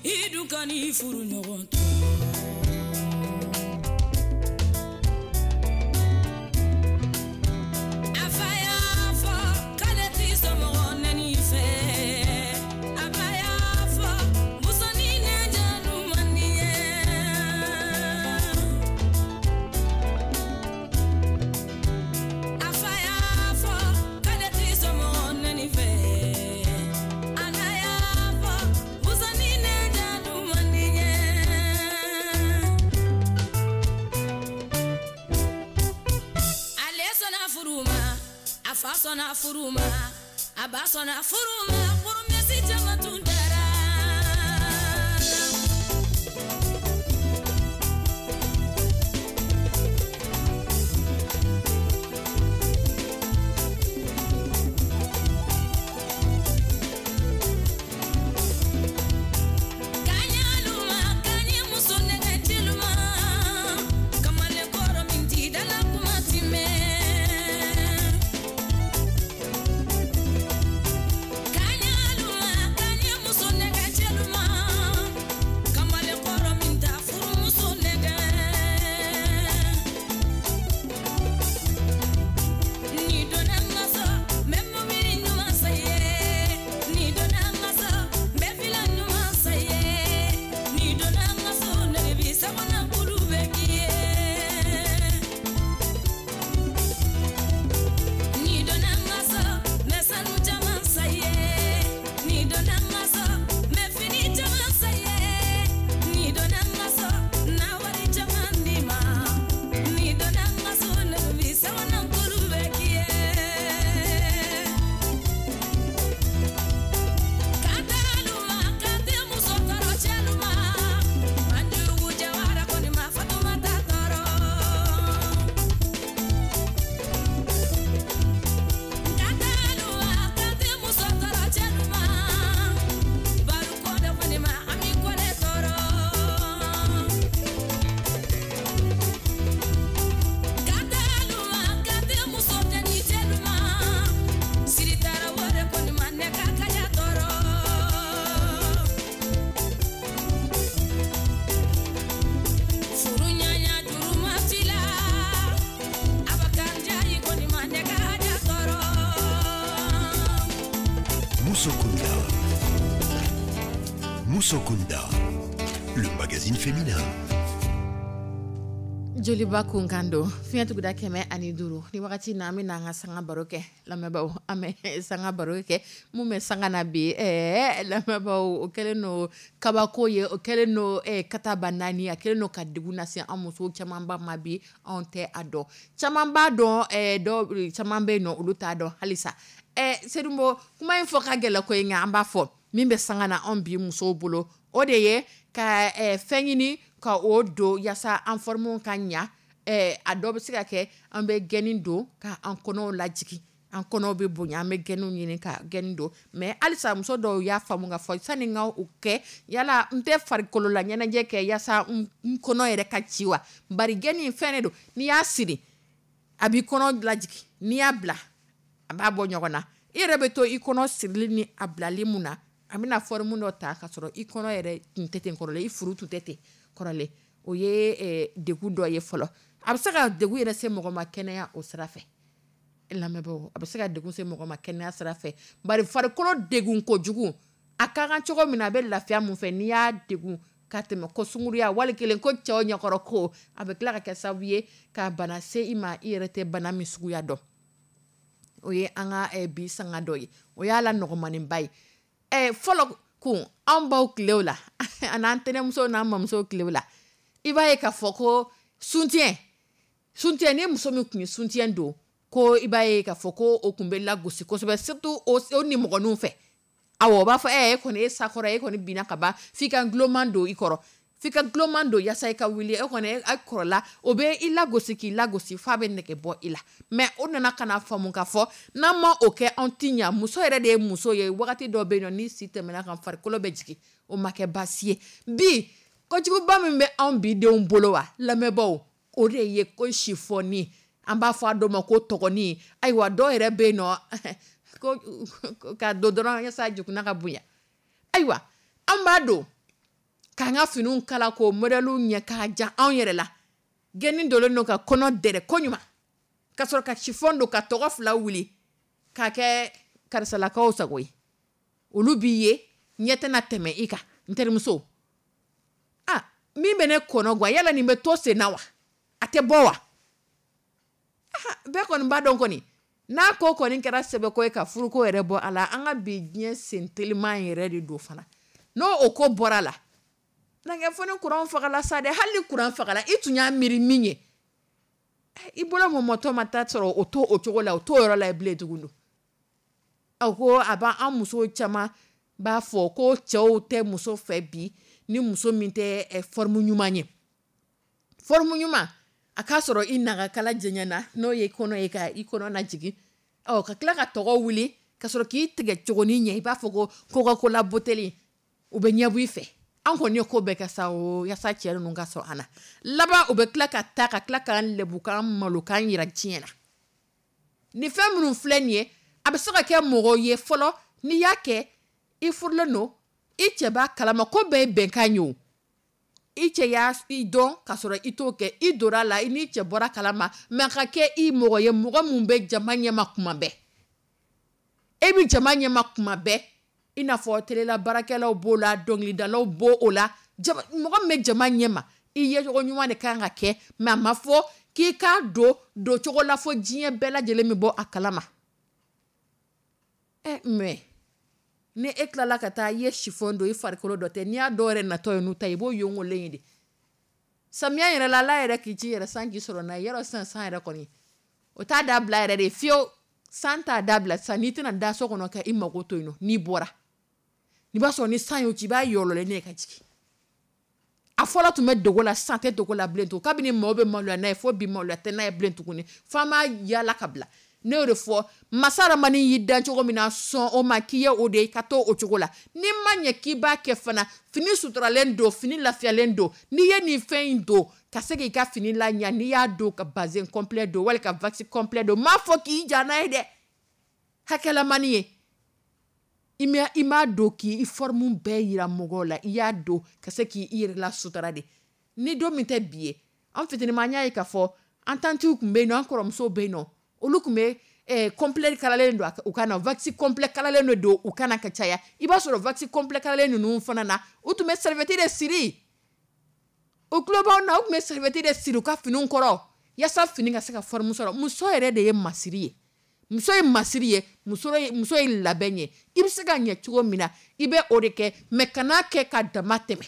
S3: i dun kan'i furu ɲɔgɔn tɔɔrɔ. A fa y'a fɔ k'ale t'i somɔgɔ nɛni fɛ. A ba y'a fɔ musonin nɛnjanu man di ye. A fa y'a fɔ k'ale t'i somɔgɔ nɛni fɛ. A na y'a fɔ musonin nɛnjanu man di ye. Ale sɔnna furu ma, a fa sɔnna furu ma, a ba sɔnna furu ma, promesse caman tun taara.
S1: Musokunda. Musokunda, le magazine féminin.
S2: Joliba kunkan don, fiɲɛ tuguda 105. Ni wagati na, an bɛ an ka sanga baro kɛ. Lamɛnbaaw, an bɛ sanga baro kɛ. Mun bɛ sanga na bi? Lamɛnbaaw, o kɛlen don kabako ye, o kɛlen don kataba naani, a kɛlen don ka degun lase an muso camanba ma bi. Anw tɛ a dɔn, caman b'a dɔn, dɔw caman bɛ yen nɔ, olu t'a dɔn halisa. Selimbo, kuma in fɔ ka gɛlɛn ko nka an b'a fɔ min bɛ sanga na anw bi musow bolo, o de ye ka fɛn ɲini ka o don yaasa an forme ka ɲa. A dɔ bɛ se ka kɛ an bɛ gaine don ka an kɔnɔw lajigin, an kɔnɔw bɛ bonya, an bɛ gainew ɲini ka gaine don. Mais halisa muso dɔw y'a faamu ka fɔ sani n ka o kɛ, yala n tɛ farikolo la ɲɛnajɛ kɛ yaasa n kɔnɔ yɛrɛ ka ci wa? Bari gaine in fɛn de don, n'i y'a siri a b'i kɔnɔ lajigin, n'i y'a bila a b'a bɔ ɲɔgɔn na. I yɛrɛ bɛ to i kɔnɔ sirili ni a bilali mun na, a bɛna forme dɔ ta ka sɔrɔ i kɔnɔ yɛrɛ tun tɛ ten kɔrɔlen, i furu tun tɛ ten kɔrɔlen. O ye degun dɔ ye fɔlɔ. A bɛ se ka degun yɛrɛ se mɔgɔ ma kɛnɛya o sira fɛ. Lamɛnbaaw, a bɛ se ka degun se mɔgɔ ma kɛnɛya sira fɛ, bari farikolo degun kojugu, a ka kan cogo min na, a bɛ lafiya mun fɛ, n'i y'a degun ka tɛmɛ, ko sunkuruya wali kelen ko cɛw ɲɛkɔrɔ ko, a bɛ tila ka kɛ sababu ye ka bana se i ma, i yɛrɛ tɛ bana min suguya dɔn. O ye an ka bi sanga dɔ ye, o y'a la nɔgɔmaninba ye. Fɔlɔ kun, an baw tilew la, ani an tɛnɛmusow n'an mamusow tilew la, i b'a ye k'a fɔ ko soutien soutien, ni muso min tun ye soutien don, ko i b'a ye k'a fɔ ko o tun bɛ lagosi kosɛbɛ, surtout o nimɔgɔninw fɛ. Awɔ, o b'a fɔ e kɔni, e sakɔrɔ, e kɔni binna ka ban, f'i ka gulonman don i kɔrɔ, f'i ka gulonman don yaasa i ka wuli. E kɔni a kɔrɔla, o bɛ i lagosi k'i lagosi f'a bɛ nɛgɛ bɔ i la. Mais o nana ka na faamu ka fɔ n'an ma o kɛ, anw ti ɲa. Muso yɛrɛ de ye muso ye. Wagati dɔ bɛ yen nɔ, ni si tɛmɛna kan, farikolo bɛ jigin, o ma kɛ baasi ye. Bi kojuguba min bɛ anw bi denw bolo wa, lamɛnbaaw, o de ye ko sifɔni, an b'a fɔ a dɔ ma ko tɔgɔni. Ayiwa, dɔw yɛrɛ bɛ yen nɔ ko ka don dɔrɔn yaasa jukuna ka bonya. Ayiwa, an b'a don k'an ka finiw kala k'o modèle ɲɛ k'a ja anw yɛrɛ la. Gɛni donnen don ka kɔnɔ dɛrɛ koɲuman, ka sɔrɔ ka chiffon don ka tɔgɔ fila wuli k'a kɛ karisalakaw sago ye. Olu b'i ye, ɲɛ tɛna tɛmɛ i kan. N terimuso, ah, min bɛ ne kɔnɔ gan, yala nin bɛ to sen na wa? A tɛ bɔ wa? Bɛɛ kɔni b'a dɔn kɔni, n'a ko kɔni kɛra sɛbɛko ye ka furuko yɛrɛ bɔ a la, an ka bi diɲɛ sen teliman yɛrɛ de don fana. N'o o ko bɔra a la, n'an fɔ ni kuran fagala sa dɛ. Hali ni kuran fagala, i tun y'a miiri min ye, i bolo mɔmɔtɔ ma taa sɔrɔ o to o cogo la, o t'o yɔrɔ la bilen tuguni. Aw ko a b'an muso caman b'a fɔ ko cɛw tɛ muso fɛ bi ni muso min tɛ forme ɲuman ye. Forme ɲuman, a k'a sɔrɔ i nagakala jɛɲɛna, n'o ye kɔnɔ ye, ka i kɔnɔ lajigin, ɔ ka tila ka tɔgɔ wuli ka sɔrɔ k'i tigɛ cogonin ɲɛ, i b'a fɔ ko Coca-Cola buteli, u bɛ ɲɛbɔ i fɛ. An kɔni ye ko bɛɛ kɛ sa o, yaasa cɛ ninnu ka sɔn an na. Laban, u bɛ tila ka taa ka tila k'an lebu, k'an malo, k'an yira diɲɛ na. Nin fɛn minnu filɛ nin ye, a bɛ se ka kɛ mɔgɔ ye fɔlɔ, n'i y'a kɛ, i furulen don, i cɛ b'a kalama, ko bɛɛ ye bɛnkan ye o. I cɛ y'a i dɔn ka sɔrɔ i t'o kɛ, i donna a la, i n'i cɛ bɔra kalama, mais ka kɛ i mɔgɔ ye, mɔgɔ mun bɛ jama ɲɛma kuma bɛɛ. E bɛ jama ɲɛma kuma bɛɛ, i n'a fɔ telela baarakɛlaw b'o la, dɔnkilidalaw b'o o la, mɔgɔ min bɛ jama ɲɛma, i yecogo ɲuman de kan ka kɛ. Mais a ma fɔ k'i k'a don don cogo la fo diɲɛ bɛɛ lajɛlen bɛ bɔ a kalama. Mais ni e tilala ka taa i ye chiffon don, i farikolo dɔ tɛ, n'i y'a dɔw yɛrɛ natɔ ye n'u ta ye, i b'o yongolen ye de. Samiya yɛrɛ la, Ala yɛrɛ k'i ci yɛrɛ, san k'i sɔrɔ n'a ye. Yɔrɔ sisan san yɛrɛ kɔni, o t'a dabila yɛrɛ de fiyewu. San t'a dabila sisan, n'i tɛna da so kɔnɔ ka i mago to yen nɔ, n'i bɔra, i b'a sɔrɔ ni san y'o ci, i b'a yɔlɔlen ne ka jigin. A fɔlɔ tun bɛ dogo la, sisan tɛ dogo la bilen tugun. Kabini maaw bɛ maloya n'a ye, fo bi maloya tɛ n'a ye bilen tuguni, f'an b'a yaala ka bila. Ne y'o de fɔ, masa Ramani y'i dan cogo min na, sɔn o ma k'i ye o de ye, ka to o cogo la. N'i ma ɲɛ k'i b'a kɛ fana, fini suturalen don, fini lafiyalen don, n'i ye nin fɛn in don ka se k'i ka fini laɲa, n'i y'a don ka bazin complet don wali ka wax complet don, m'a fɔ k'i ja n'a ye dɛ, hakɛlamani ye. I m'a don k'i forme bɛɛ yira mɔgɔw la, i y'a don ka se k'i yɛrɛ la sutura de. Ni don min tɛ bi ye, an fitinin an y'a ye k'a fɔ an tantiw tun bɛ yen nɔ, an kɔrɔmusow bɛ yen nɔ, olu tun bɛ Complet kalalen don u kan na, wax complet kalalen don u kan na ka caya. I b'a sɔrɔ wax complet kalalen ninnu fana na, u tun bɛ serviette de siri. U tulo b'anw na, u tun bɛ serviette de siri u ka finiw kɔrɔ yaasa fini ka se ka forme sɔrɔ. Muso yɛrɛ de ye masiri ye, muso ye masiri ye, muso ye labɛn ye. I bɛ se ka ɲɛ cogo min na, i bɛ o de kɛ, mais kana kɛ ka dama tɛmɛ,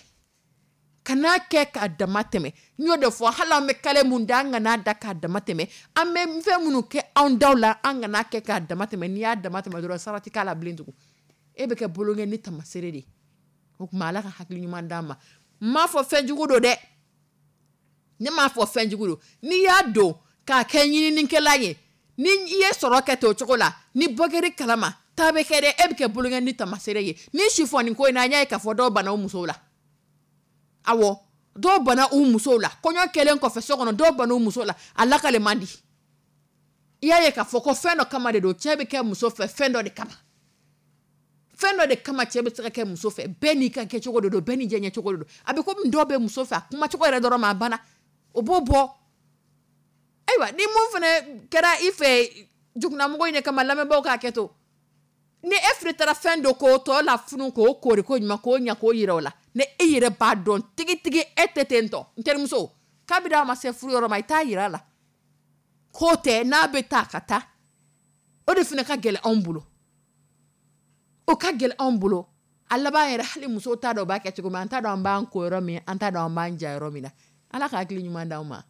S2: kana kɛ k'a dama tɛmɛ. N y'o de fɔ, hali an bɛ kale mun da, an kana da k'a dama tɛmɛ. An bɛ fɛn minnu kɛ anw daw la, an kana kɛ k'a dama tɛmɛ. N'i y'a dama tɛmɛ dɔrɔn, sara tɛ k'a la bilen tugun, e bɛ kɛ bolonkɛ ni tamasere de ye. O tuma, Ala ka hakili ɲuman d'an ma. N m'a fɔ fɛnjugu don dɛ, ne m'a fɔ fɛnjugu don. N'i y'a don k'a kɛ ɲininikɛla ye, ni i ye sɔrɔ kɛ ten o cogo la, ni bɔ kɛr'i kalama, taa bɛ kɛ dɛ, e bɛ kɛ bolonkɛ ni tamasere ye. Ni sifɔnin ko in na, an y'a ye k'a fɔ dɔw banna u musow la. Awɔ, dɔw banna u musow la kɔɲɔ kɛlen kɔfɛ so kɔnɔ, dɔw banna u musow la, a lakale man di. I y'a ye k'a fɔ ko fɛn dɔ kama de don, cɛ bɛ kɛ muso fɛ fɛn dɔ de kama, fɛn dɔ de kama cɛ bɛ se ka kɛ muso fɛ. Bɛɛ n'i ka kɛcogo de don, bɛɛ n'i diyaɲɛcogo de don. A bɛ komi dɔw bɛ muso fɛ a kumacogo yɛrɛ dɔrɔn ma, a banna, o b'o bɔ. Ayiwa, ni mun fana kɛra i fɛ jugunamɔgɔ in de kama, lamɛnbaaw k'a kɛ to. Ni e fana taara fɛn dɔ k'o tɔ la funu, k'o koori ko ɲuman, k'o ɲɛ, k'o yira o la, ni e yɛrɛ b'a dɔn tigitigi e tɛ ten tɔ, n terimuso, kabini a ma se furu yɔrɔ ma, i t'a yira a la k'o tɛ. N'a bɛ taa ka taa, o de fana ka gɛlɛn anw bolo, o ka gɛlɛn anw bolo. A laban yɛrɛ, hali musow t'a dɔn u b'a kɛ cogo min. An t'a dɔn an b'an ko yɔrɔ min, an t'a dɔn an b'an ja yɔrɔ min na. Ala ka hakili ɲuman d'anw ma.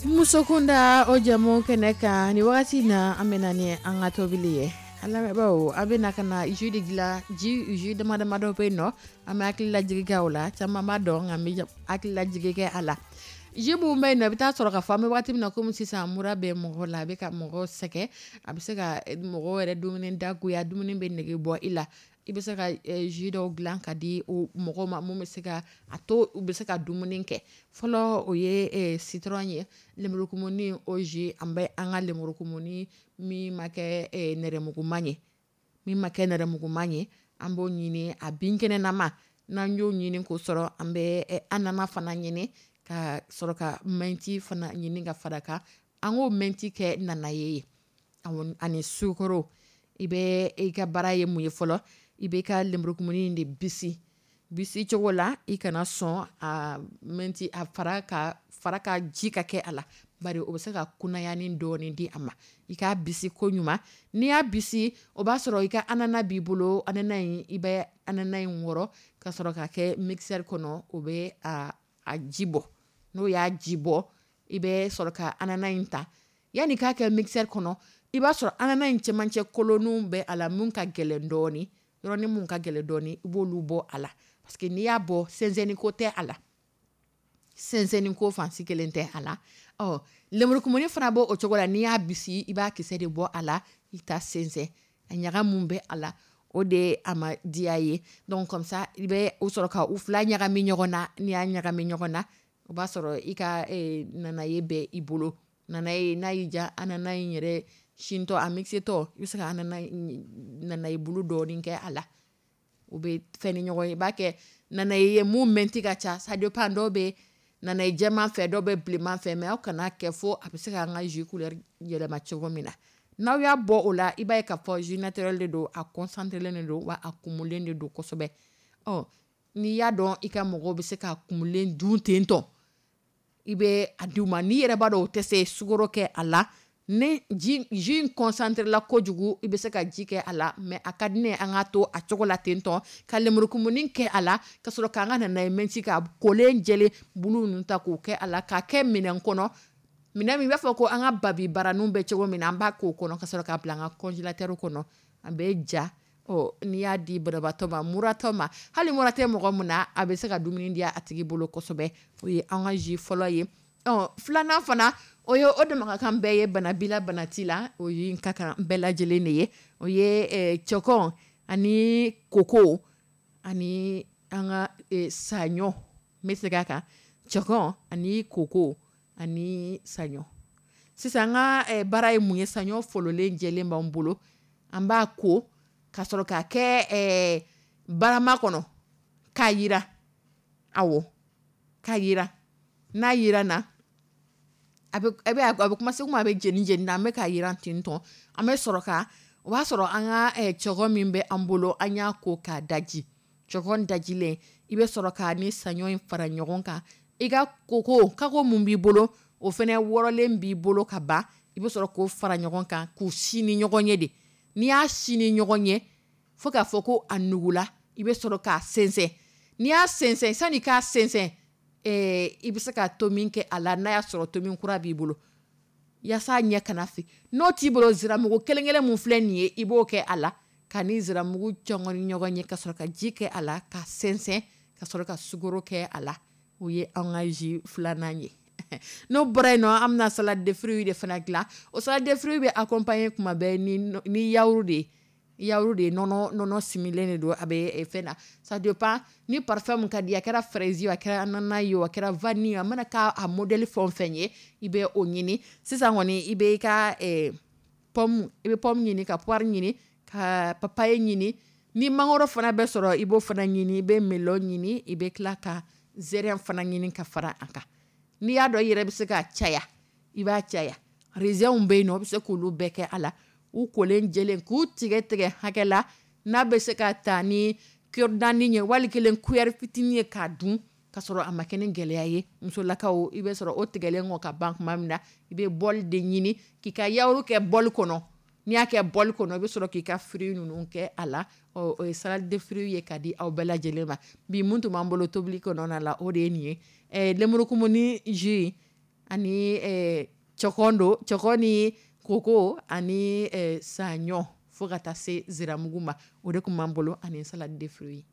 S2: Musokunda o jɛmu kɛnɛ kan, ni wagati na, an bɛ na ni an ka tobili ye. An lamɛnbaaw, a bɛ na ka na jus de dilan. Jus dama damadɔ bɛ yen nɔ, an bɛ hakili lajigi kɛ o la. Caman b'a dɔn, nka n bɛ hakili lajigi kɛ a la. Jus minnu bɛ yen nɔ, i bɛ taa sɔrɔ ka fɔ an bɛ waati min na komi sisan, mura bɛ mɔgɔ la, a bɛ ka mɔgɔ sɛgɛn, a bɛ se ka mɔgɔ yɛrɛ dumuni dagoya, dumuni bɛ nege bɔ i la. I bɛ se ka jus dɔw dilan ka di o mɔgɔ ma mun bɛ se ka a to u bɛ se ka dumuni kɛ. Fɔlɔ, o ye citron ye, lemurukumuni. O jus, an bɛ an ka lemurukumuni min ma kɛ nɛrɛmuguma ye, min ma kɛ nɛrɛmuguma ye, an b'o ɲini, a binkɛnɛnama n'an y'o ɲini k'o sɔrɔ, an bɛ ananas fana ɲini, ka sɔrɔ ka menthe fana ɲini ka fara kan. An k'o menthe kɛ nanaye ye ani sukaro. I bɛ i ka baara ye mun ye fɔlɔ? I bɛ ka lemurukumuni de bisi bisi cogo la, i kana sɔn a menthe a fara ka fara ka ji ka kɛ a la, bari o bɛ se ka kunayani dɔɔni di a ma. I k'a bisi ko ɲuman. N'i y'a bisi, o b'a sɔrɔ i ka ananas b'i bolo. Ananas in, i bɛ ananas in wɔrɔ ka sɔrɔ ka kɛ mixeur kɔnɔ, o bɛ a ji bɔ. N'o y'a ji bɔ, i bɛ sɔrɔ ka ananas in ta. Yanni k'a kɛ mixeur kɔnɔ, i b'a sɔrɔ ananas in cɛmancɛ kolonninw bɛ a la mun ka gɛlɛn dɔɔni, yɔrɔnin mun ka gɛlɛn dɔɔni, i b'olu bɔ a la, parce que n'i y'a bɔ, sɛnsɛnni ko tɛ a la, sɛnsɛnni ko fansi kelen tɛ a la. Ɔ lemurukumuni fana b'o o cogo la. N'i y'a bisi, i b'a kisɛ de bɔ a la, i ta sɛnsɛn. A ɲaga mun bɛ a la, o de ye a ma diya ye. Donc comme ça, i bɛ o sɔrɔ ka u fila ɲagami ɲɔgɔn na. N'i y'a ɲagami ɲɔgɔn na, o b'a sɔrɔ i ka nanaye bɛ i bolo. Nanaye, n'a y'i diya, ananas in yɛrɛ sintɔ, a mixé tɔ, i bɛ se ka ananas nanaye bulu dɔɔni kɛ a la, u bɛ fɛn ni ɲɔgɔn ye. I b'a kɛ nanaye ye mun menthe ka ca. Ça dépend, dɔw bɛ nanaye jɛman fɛ, dɔw bɛ bilenman fɛ, mais aw kana kɛ fo a bɛ se k'an ka jus couleur yɛlɛma cogo min na. N'aw y'a bɔ o la, i b'a ye k'a fɔ jus naturel de don, a concentré len de don, wa a kumulen de don kosɛbɛ. Ɔ n'i y'a dɔn i ka mɔgɔw bɛ se ka kumulen dun ten tɔ, i bɛ a di u ma. N'i yɛrɛ b'a dɔn o tɛ se, sukaro kɛ a la. Ni ji jus in concentré la kojugu, i bɛ se ka ji kɛ a la, mais a ka di ne ye an k'a to a cogo la ten tɔ, ka lemurukumuni kɛ a la, ka sɔrɔ k'an ka nanaye menthe ka kolen jɛlen bulu ninnu ta k'o kɛ a la, k'a kɛ minɛn kɔnɔ, minɛn min i b'a fɔ ko an ka babi baraninw bɛ cogo min na. An b'a k'o kɔnɔ ka sɔrɔ k'a bila an ka congélateur kɔnɔ, a bɛ ja. Ɔ n'i y'a di banabaatɔ ma, muratɔ ma, hali mura tɛ mɔgɔ min na, a bɛ se ka dumuni diya a tigi bolo kosɛbɛ. O ye an ka jus fɔlɔ ye. Ɔ filanan fana, o ye o dama ka kan bɛɛ ye, bana b'i la, bana t'i la, o ye ka kan bɛɛ lajɛlen de ye. O ye cɛkɔ ani koko ani an ka saɲɔ. N bɛ segin a kan: cɛkɔ ani koko ani saɲɔ. Sisan, an ka baara ye mun ye? Saɲɔ fololen jɛlen b'an bolo, an b'a ko ka sɔrɔ k'a kɛ barama kɔnɔ k'a jira. Awɔ, k'a jira. N'a jira na, a bɛ commencer komi a bɛ jeni jeni na. An bɛ ka jiran ten tɔ. An bɛ sɔrɔ ka, o b'a sɔrɔ an ka cɛkɔ min bɛ an bolo, an y'a ko k'a daji. Cɛkɔ dajilen, i bɛ sɔrɔ k'a ni saɲɔ in fara ɲɔgɔn kan. I ka koko kako mun b'i bolo, o fana wɔrɔlen b'i bolo ka ban, i bɛ sɔrɔ k'o fara ɲɔgɔn kan, k'u sin ni ɲɔgɔn ye de. N'i y'a sin ni ɲɔgɔn ye fo k'a fɔ ko a nugula, i bɛ sɔrɔ k'a sɛnsɛn. N'i y'a sɛnsɛn, sani k'a sɛnsɛn, i bɛ se ka to min kɛ a la, n'a y'a sɔrɔ tomi kura b'i bolo, yaasa ɲɛ kana fin. N'o t'i bolo, ziramugu kelen kelen mun filɛ nin ye, i b'o kɛ a la ka ni ziramugu cɔngɔn ɲɔgɔn ye, ka sɔrɔ ka ji kɛ a la ka sɛnsɛn, ka sɔrɔ ka sukaro kɛ a la. O ye an ka jus filanan ye. N'o bɔra yen nɔ, an bɛna salade de fruits de fana dilan. O salade de fruits bɛ accompagner kuma bɛɛ ni yaourt de ye. Yaourt de ye, nɔnɔ similen de don, a bɛ fɛn na. Ça dépend ni parfum mun ka di, a kɛra fraise ye, a kɛra ananas ye, a kɛra vanille, a mana k'a a modèle fɛn o fɛn ye, i bɛ o ɲini. Sisan kɔni, i bɛ i ka pomme, i bɛ pomme ɲini, ka poire ɲini, ka papaye ɲini. Ni mangoro fana bɛ sɔrɔ, i b'o fana ɲini. I bɛ melon ɲini, i bɛ tila ka zɛrɛn fana ɲini ka fara a kan. N'i y'a dɔn i yɛrɛ bɛ se ka caya, i b'a caya. Raisin bɛ yen nɔ, i bɛ se k'olu bɛɛ kɛ a la, u kolen jɛlen, k'u tigɛ tigɛ hakɛ la n'a bɛ se ka ta ni cure-dent ye, wali kelen cuillère fitinin ye k'a dun ka sɔrɔ a ma kɛ ni gɛlɛya ye. Musolakaw, i bɛ sɔrɔ o tigɛlen kɔ ka ban tuma min na, i bɛ bol de ɲini k'i ka yaourt kɛ bol kɔnɔ. N'i y'a kɛ bol kɔnɔ, i bɛ sɔrɔ k'i ka fruits ninnu kɛ a la. Ɔ o ye salade de fruits ye ka di aw bɛɛ lajɛlen ma. Bi mun tun b'an bolo tobili kɔnɔna la, o de ye nin ye: lemurukumuni jus. Ani cɛkɔn don, cɛkɔn ni koko ani saɲɔ fo ka taa se ziramugu ma. O de tun b'an bolo ani salade de fruits.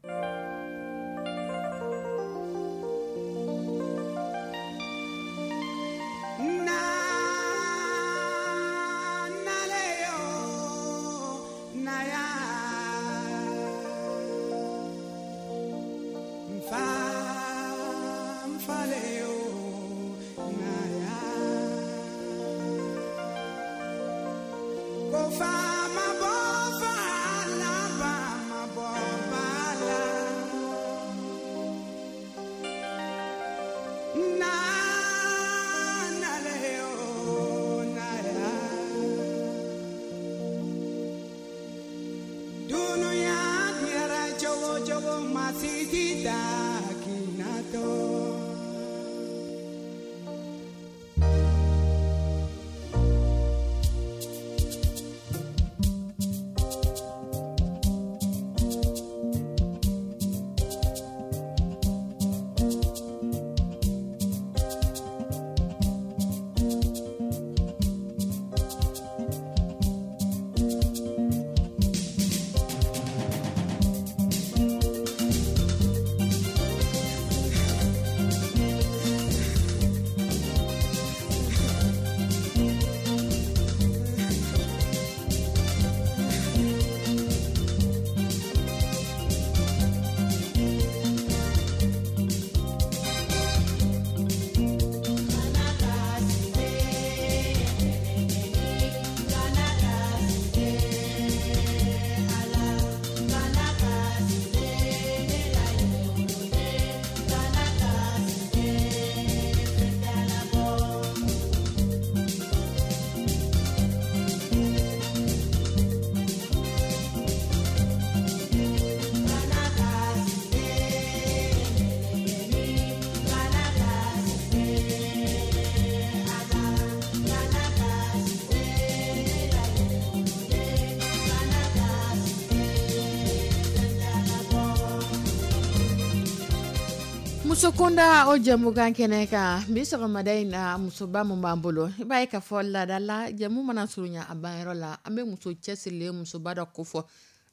S2: Musokunda o jɛmukan kɛnɛ kan bi sɔgɔmada in na, musoba min b'an bolo, i b'a ye k'a fɔ laada la, jɛmu mana surunya a banyɔrɔ la, an bɛ muso cɛsirilen musoba dɔ ko fɔ.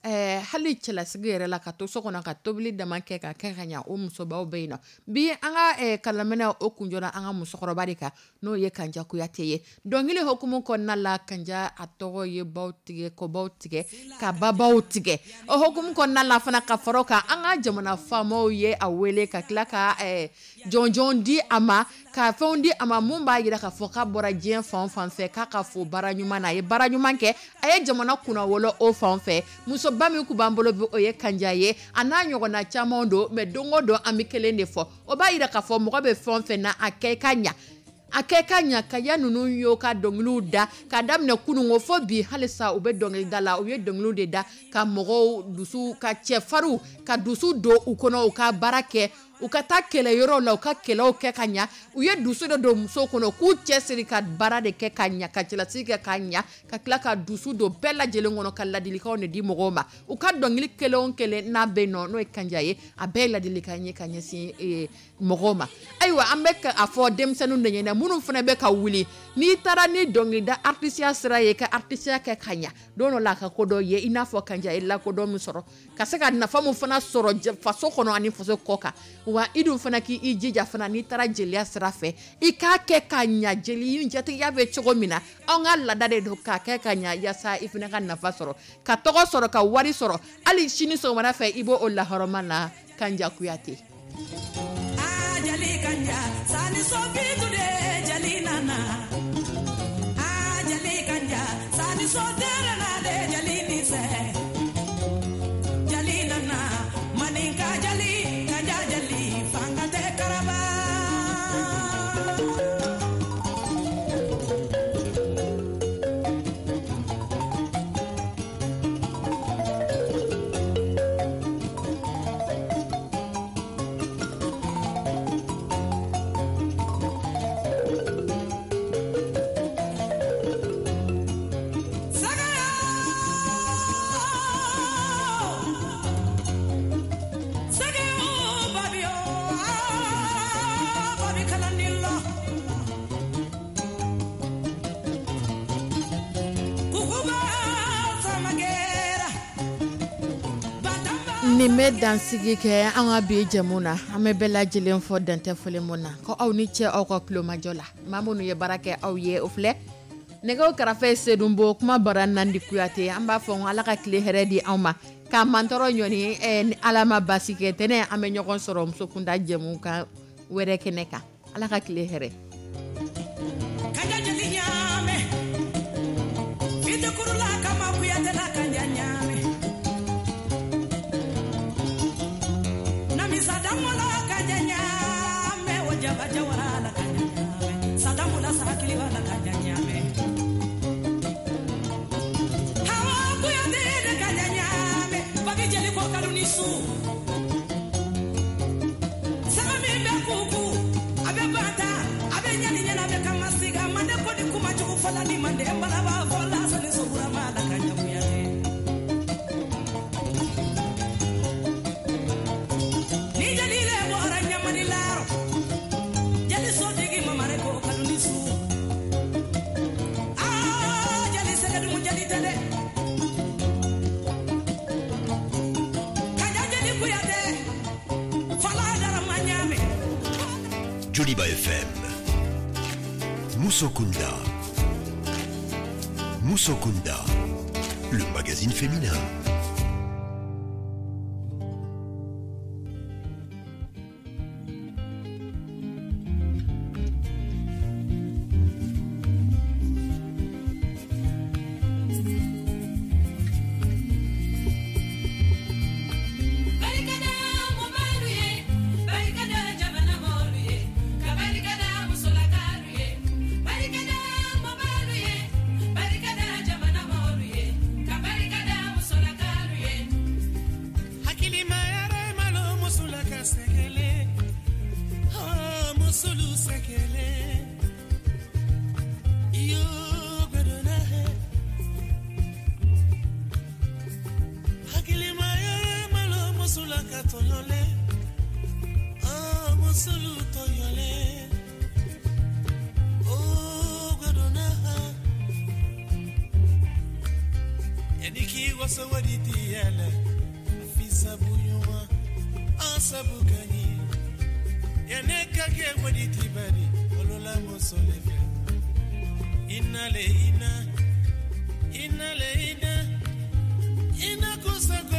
S2: Hali cɛlasigi yɛrɛ la, ka to so kɔnɔ ka tobili dama kɛ ka kɛ ka ɲa, o musobaw bɛ yen nɔ. Bi an ka kalaminɛ o kunjɔra an ka musokɔrɔba de kan, n'o ye Kanja Kuyate ye. Dɔnkili hukumu kɔnɔna la, Kanja a tɔgɔ ye baw tigɛ, kɔbaw tigɛ, ka babaw tigɛ. O hukumu kɔnɔna la fana, ka fara o kan, an ka jamana faamaw ye a wele ka tila ka jɔnjɔn di a ma, ka fɛnw di a ma mun b'a jira k'a fɔ k'a bɔra diɲɛ fan o fan fɛ, k'a ka fo baara ɲuman na. A ye baara ɲuman kɛ, a ye jamana kunnawolo o fan fɛ. Musoba min tun b'an bolo bi, o ye Kanja ye, a n'a ɲɔgɔnna caman don. Mais don o don an bɛ kelen de fɔ, o b'a jira k'a fɔ mɔgɔ bɛ fɛn o fɛn na, a kɛ i ka ɲa, a kɛ ka ɲa. Kanja ninnu y'o ka dɔnkiliw da ka daminɛ kununko fo bi, halisa u bɛ dɔnkili da la. U ye dɔnkiliw de da ka mɔgɔw dusu, ka cɛfarinw ka dusu don u kɔnɔ, u ka baara kɛ, u ka taa kɛlɛyɔrɔw la, u ka kɛlɛw kɛ ka ɲa. U ye dusu de don musow kɔnɔ k'u cɛsiri ka baara de kɛ ka ɲa, ka cɛlasigi kɛ ka ɲa, ka tila ka dusu don bɛɛ lajɛlen kɔnɔ, ka ladilikanw de di mɔgɔw ma. U ka dɔnkili kelen o kelen n'a bɛ yen nɔ, n'o ye Kanja ye, a bɛɛ ye ladilikan ye ka ɲɛsin mɔgɔw ma. Ayiwa, an bɛ a fɔ denmisɛnninw de ɲɛna, minnu fana bɛ ka wuli, n'i taara ni dɔnkilida artisiya sira ye, ka artisiya kɛ ka ɲa, don dɔ la a ka ko dɔ ye, i n'a fɔ Kanja ye lakodɔn min sɔrɔ, ka se ka nafa min fana sɔrɔ faso kɔnɔ ani faso kɔ kan. Wa i dun fana k'i jija fana, n'i taara jeliya sira fɛ, i k'a kɛ ka ɲa. Jeli jatigiya bɛ cogo min na, anw ka laada de don k'a kɛ ka ɲa, yaasa i fana ka nafa sɔrɔ, ka tɔgɔ sɔrɔ, ka wari sɔrɔ. Hali sini sɔgɔmada fɛ, i b'o o lahɔrɔma na. Kanja Kuyate.
S3: Jali Kanja sani so bitu de jali nana, jali Kanja sani so tere na de jali ni se, jali nana maninka jali Kanja jali fanga te karaba.
S2: Nin bɛ dansigi kɛ an ka bi jɛmu na. An bɛ bɛɛ lajɛlen fɔ dantɛ foli mun na, ko aw ni cɛ, aw ka kulomajɔ la. Maa minnu ye baara kɛ aw ye, o filɛ nɛgɛw karafe, Sedonbo kuma bara Nandi Kuyate. An b'a fɔ Ala ka tile hɛrɛ di anw ma, k'a mantɔrɔ ɲɔni. Ni Ala ma basi kɛ, tɛnɛ an bɛ ɲɔgɔn sɔrɔ musokunda jɛmu kan wɛrɛ kɛnɛ kan. Ala ka tile hɛrɛ.
S3: Ka jeli ɲaamɛ fitikurula kama kuyatela ka ɲaamɛ namisa damola ka ɲaamɛ o jaba jawara la ka ɲaamɛ sadamola sakiliba la ka ɲaamɛ hawa kuyate de ka ɲaamɛ bagi jeli ko kaluni su saga min bɛ kuku a bɛ bata a bɛ ɲani ɲɛna bɛ kama siga mande ko ni kuma jugu fɔla ni mande balaba fɔla sani soburama la ka ɲakuyate ni jeli le bɔra ɲamani laro jeli sotigi mamare ko kaluni su aa jeli sɛgɛdugu jeli tɛ dɛ kaja jeli kuyate fala darama ɲaamɛ.
S1: Joliba FM. Musokunda. Musokunda. Le magazine féminin.
S4: Barikada mɔbalu ye, barikada jamana mɔlu ye, ka barikada musolakalu ye. Barikada mɔbalu ye, barikada jamana mɔlu ye, ka barikada musolakalu ye.
S3: Hakilima yɛrɛ malo musula ka sɛgɛlɛ, oh, musulu sɛgɛlɛ iyo gbɛdɔnna hɛ. Hakilima yɛrɛ malo musula ka tɔɲɔlɛ, oh, musulu tɔɲɔlɛ, oh, gbɛdɔnna hɛ. Yani k'i waso wari di yɛlɛ fi sabu ɲuman an sabu ka ɲi yanni ka kɛ wari di bari olola muso le fɛ ina le ina ina le ina ina kusa.